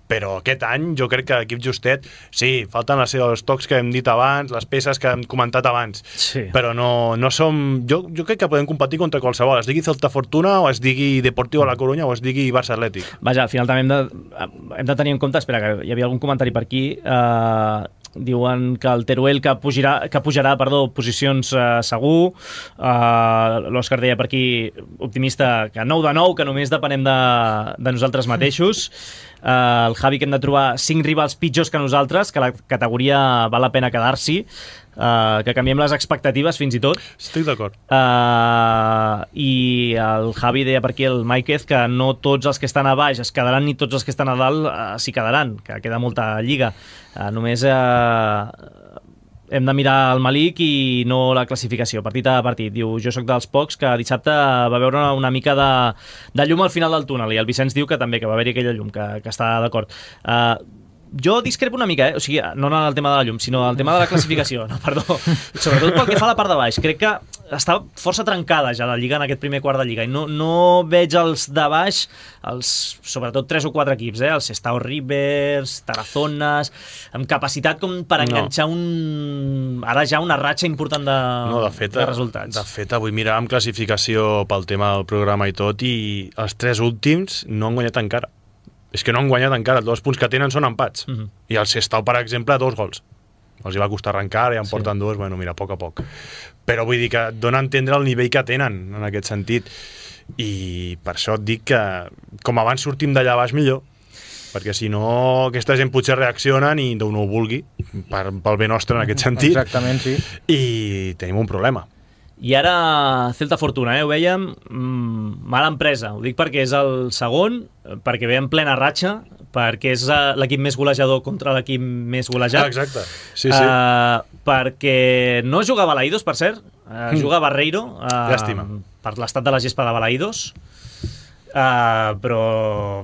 Però aquest any jo crec que l'equip justet, sí, falten els seus tocs que hem dit abans, les peces que hem comentat abans, sí. Però no, no som... Jo, jo crec que podem competir contra qualsevol, es digui Celta Fortuna, o es digui Deportivo La Coruña, o es digui Barça Atlètic. Vaja, al final també hem de, hem de tenir en compte, espera, que hi havia algun comentari per aquí, eh... diuen que el Teruel que pujarà, que pujarà perdó, posicions eh, segur, eh, l'Òscar deia per aquí, optimista, que nou de nou, que només depenem de, de nosaltres mateixos, eh, el Javi que hem de trobar cinc rivals pitjors que nosaltres, que la categoria val la pena quedar-s'hi, Uh, que canviem les expectatives fins i tot. Estic d'acord. Uh, I el Javi deia per aquí, el Máiquez, que no tots els que estan a baix es quedaran ni tots els que estan a dalt uh, s'hi quedaran, que queda molta lliga. Uh, només uh, hem de mirar el Malik i no la classificació, partit a partit. Diu, jo sóc dels pocs que dissabte va veure una mica de, de llum al final del túnel, i el Vicenç diu que també, que va haver-hi aquella llum, que, que està d'acord. Uh, Jo discrepo una mica, eh? O sigui, no en el tema de la llum, sinó el tema de la classificació. No, perdó. Sobretot pel que fa a la part de baix. Crec que està força trencada ja la Lliga en aquest primer quart de Lliga, i no, no veig els de baix, els, sobretot tres o quatre equips, eh? Els Sestao Rivers, Tarazones, amb capacitat com per enganxar no. un... ara ja una ratxa important de, no, de, fet, de resultats. De fet, avui miràvem classificació pel tema del programa i tot, i els tres últims no han guanyat encara. És que no han guanyat encara, els dos punts que tenen són empats. Uh-huh. I el Sestao, per exemple, dos gols. Els hi va costar arrencar, i en sí. porten dos, bueno, mira, a poc a poc. Però vull dir que dona a entendre el nivell que tenen, en aquest sentit. I per això et dic que, com abans sortim d'allà baix, millor. Perquè si no, aquesta gent potser reaccionen i Déu no ho vulgui, per, pel bé nostre en aquest sentit. Exactament, sí. I tenim un problema. I ara Celta Fortuna, eh? Ho vèiem, mmm, mala empresa. Ho dic perquè és el segon, perquè ve en plena ratxa, perquè és uh, l'equip més golejador contra l'equip més golejat. Ah, exacte, sí, sí. Uh, perquè no juga Balaïdos, per cert, uh, juga Barreiro, uh, Llàstima. Per l'estat de la gespa de Balaïdos. Uh, però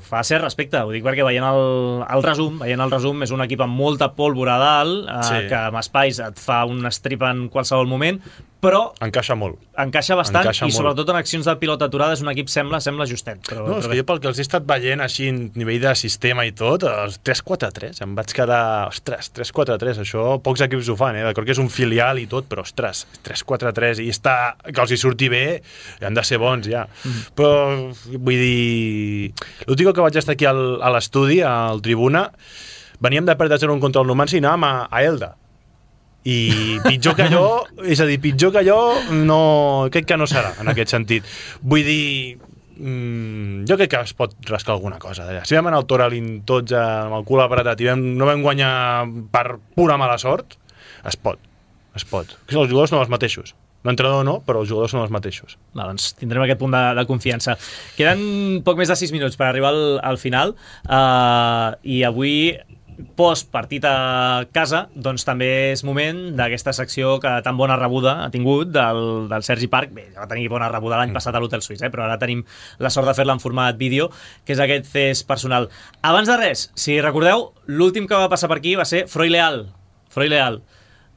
fa cert respecte, ho dic perquè veient el, el resum, veient el resum és un equip amb molta pólvora a dalt, uh, sí. que amb espais et fa un strip en qualsevol moment, però encaixa molt, encaixa bastant, encaixa i molt. Sobretot en accions de pilota aturada és un equip sembla sembla justet, però, no, és però que jo pel que els he estat veient així en nivell de sistema i tot, els tres quatre tres em vaig quedar, ostres, tres quatre tres, això pocs equips ho fan, eh? D'acord que és un filial i tot, però ostres, tres quatre tres, i està, que els hi surti bé, han de ser bons ja, mm. però vull dir, l'últim que vaig estar aquí al, a l'estudi, al Tribuna, veníem de perdre zero contra el Numancia i anàvem a, a Elda, i pitjor que allò, és a dir, pitjor que allò no, crec que no serà en aquest sentit. Vull dir, mmm, jo crec que es pot rascar alguna cosa d'allà. Si vam anar al Toralín tots amb el cul apretat i vam, no vam guanyar per pura mala sort, es pot, es pot. Els jugadors són els mateixos. L'entrenador no, però els jugadors són els mateixos. Va, doncs tindrem aquest punt de, de confiança. Queden poc més de sis minuts per arribar al, al final, uh, i avui post partit a casa, doncs també és moment d'aquesta secció que tan bona rebuda ha tingut del, del Sergi Parc. Bé, ja va tenir bona rebuda l'any passat a l'Hotel Suís, eh? Però ara tenim la sort de fer-la en format vídeo, que és aquest test personal. Abans de res, si recordeu, l'últim que va passar per aquí va ser Froi Leal, Froi Leal,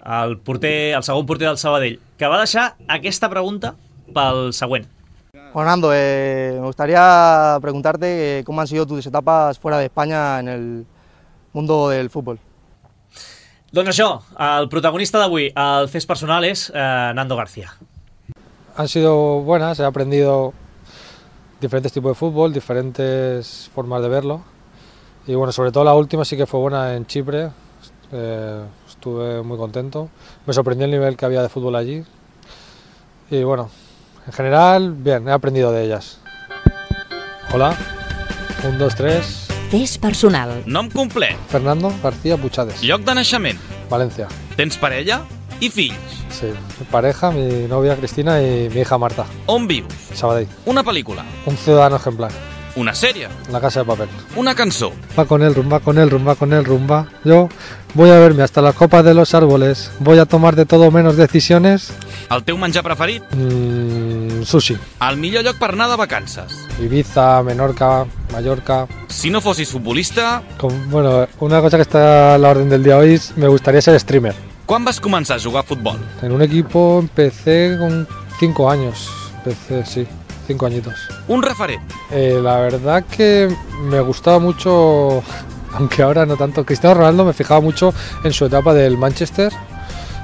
el, porter, el segon porter del Sabadell, que va deixar aquesta pregunta pel següent. Bueno, Nando, eh, me gustaría preguntarte eh, cómo han sido tus etapas fuera de España en el mundo del fútbol. Doncs això, el protagonista d'avui, el test personal, és eh, Nando García. Han sido buenas, he aprendido diferentes tipos de fútbol, diferentes formas de verlo. Y bueno, sobre todo la última sí que fue buena en Chipre, eh, estuve muy contento. Me sorprendió el nivel que había de fútbol allí. Y bueno, en general, bien, he aprendido de ellas. Hola, un, dos, tres... Test personal. Nom complet. Fernando García Puchades. Lloc de naixement. Valencia. Tens parella i fills. Sí, mi pareja, mi novia Cristina y mi hija Marta. On vius? Sabadell. Una pel·lícula. Un ciudadano ejemplar. Una sèrie. La casa de papel. Una cançó. Va con el rumba, con el rumba, con el rumba. Yo voy a verme hasta la copa de los árboles. Voy a tomar de todo menos decisiones. El teu menjar preferit? Mm, sushi. El millor lloc per anar de vacances? Ibiza, Menorca, Mallorca. Si no fossis futbolista... Con, bueno, una cosa que está a la orden del día hoy es me gustaría ser streamer. Quan vas començar a jugar a futbol? En un equipo empecé con cinco años. Empecé, sí, cinco añitos. Un referent. Eh, la verdad que me gustaba mucho, aunque ahora no tanto, Cristiano Ronaldo. Me fijaba mucho en su etapa del Manchester,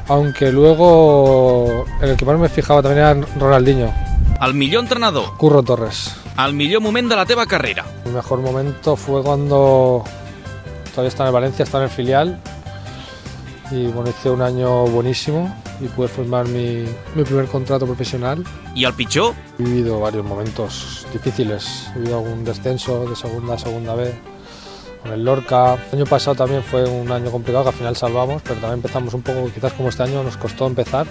aunque luego en el que más me fijaba también era Ronaldinho. El millor entrenador. Curro Torres. El millor moment de la teva carrera. El mejor momento fue cuando todavía estaba en el Valencia, estaba en el filial. Y bueno, hice un año buenísimo y pude firmar mi, mi primer contrato profesional. ¿Y el pitjor? He vivido varios momentos difíciles. He vivido algún descenso de segunda a segunda vez con el Lorca. El año pasado también fue un año complicado que al final salvamos, pero también empezamos un poco, quizás como este año nos costó empezar.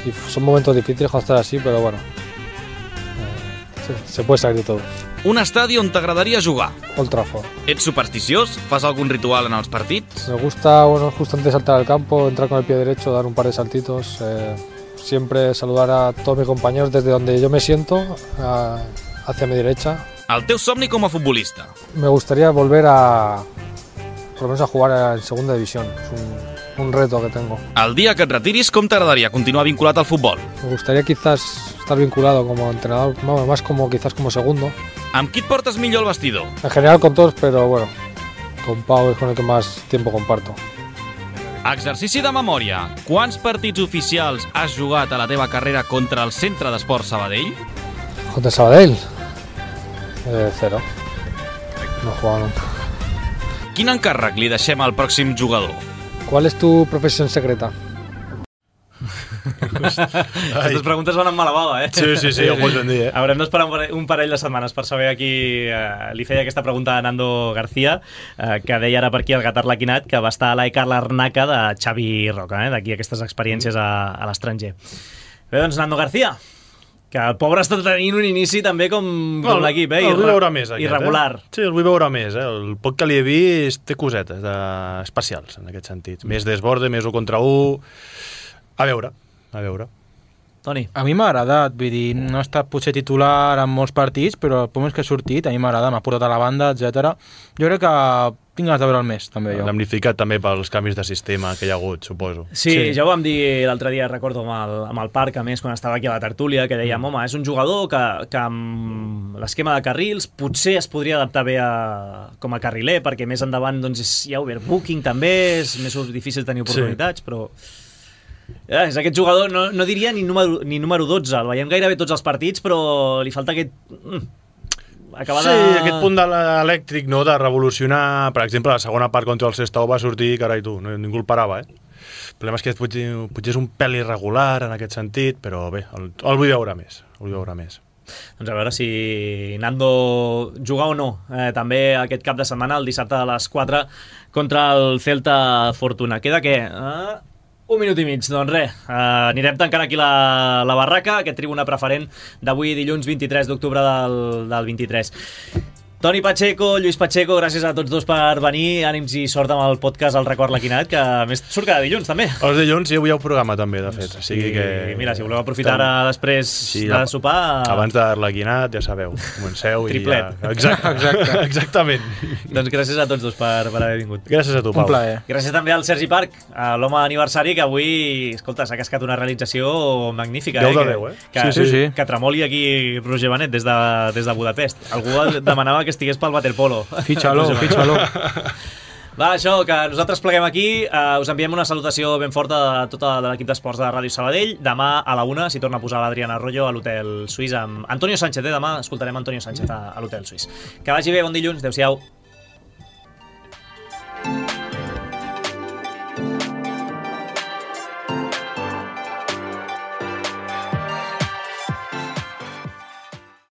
Y son momentos difíciles cuando estás así, pero bueno, eh, se, se puede salir de todo. Un estadi on t'agradaria jugar. Old Trafford. Ets supersticiós? Fas algun ritual en els partits? Me gusta, bueno, justo antes de saltar al campo, entrar con el pie derecho, dar un par de saltitos. Eh, siempre saludar a todos mis compañeros desde donde yo me siento, a, hacia mi derecha. El teu somni com a futbolista? Me gustaría volver a, por lo menos a jugar en segunda división. Es un, un reto que tengo. El dia que et retiris, com t'agradaria continuar vinculat al futbol? Me gustaría quizás estar vinculado como entrenador, más como quizás como segundo. Amb qui et portes millor al vestidor? En general con todos, pero bueno, con Pau es con el que más tiempo comparto. Exercici de memòria. Quants partits oficials has jugat a la teva carrera contra el Centre d'Esport Sabadell? ¿Contra Sabadell? Eh, cero. No he jugado nunca. Quin encàrrec li deixem al pròxim jugador? ¿Cuál es tu profesión secreta? Aquestes preguntes van amb mala bava, eh? Sí, sí, sí, ja ho pots ben dir, eh? Haurem d'esperar un parell, un parell de setmanes per saber a qui eh, li feia aquesta pregunta a Nando García, eh, que deia ara per aquí el Gatar Laquinat, que va estar a l'Aicar Larnaca de Xavi Roca, eh? D'aquí aquestes experiències a, a l'estranger. Bé, doncs, Nando García, que el pobre està tenint un inici també com, com el, l'equip, eh? El vull veure més, aquest, irregular. Eh? Sí, el vull veure més, eh? El poc que li he vist té cosetes de... especials, en aquest sentit. Més desborde, més un contra un... A veure, a veure. Toni. A mi m'ha agradat, vull dir, no ha estat potser titular en molts partits, però el moment que ha sortit, a mi m'ha agradat, m'ha portat a la banda, etcètera. Jo crec que tinc ganes de veure'l més, també, jo. Damnificat també pels canvis de sistema que hi ha hagut, suposo. Sí, sí. Ja ho vam dir l'altre dia, recordo, amb el, amb el Parc, a més, quan estava aquí a la tertúlia, que dèiem, home, és un jugador que, que amb l'esquema de carrils potser es podria adaptar bé a, com a carriler, perquè més endavant doncs, hi ha overbooking també, és més difícil tenir oportunitats, sí. Però... Ja, és aquest jugador, no, no diria ni número, ni número dotze, el veiem gairebé tots els partits, però li falta aquest... Mm, acabar sí, de... aquest punt de l'elèctric, no?, de revolucionar. Per exemple, la segona part contra el Sestao va sortir, carai tu, no, ningú el parava, eh? El problema és que potser, potser és un pèl irregular en aquest sentit, però bé, el, el vull veure més, el vull veure més. Doncs a veure si Nando juga o no, eh, també aquest cap de setmana, el dissabte a les quatre, contra el Celta Fortuna. Queda què? Eh... Un minut i mig, doncs res, uh, anirem tancant aquí la, la barraca, aquest tribuna preferent d'avui dilluns vint-i-tres d'octubre del, del vint-i-tres. Toni Pacheco, Lluís Pacheco, gràcies a tots dos per venir. Ànims i sort amb el podcast El Record Laquinat, que a més surt cada dilluns, també. Els dilluns hi havia un programa, també, de fet. O sigui que... Mira, si voleu aprofitar ara després sí, de sopar... Abans de Laquinat, ja sabeu, comenceu Triplet. i ja... Exacte. Exacte. Exactament. Doncs gràcies a tots dos per, per haver vingut. Gràcies a tu, Pau. Un plaer. Gràcies també al Sergi Parc, l'home aniversari, que avui, escolta, s'ha cascat una realització magnífica. deu eh? de deu, eh? Que, sí, sí, sí. que tremoli aquí Roger Benet des de, des de Budapest. Algú demanava que estigués pel waterpolo. Fitxa-lo, fitxa-lo. Va, això, que nosaltres pleguem aquí. Uh, us enviem una salutació ben forta de tot l'equip d'esports de Ràdio Sabadell. Demà a la una s'hi torna a posar l'Adriana Arroyo a l'Hotel Suís amb Antonio Sánchez. Eh? Demà escoltarem Antonio Sánchez a, a l'Hotel Suís. Que vagi bé, bon dilluns. Adéu-siau.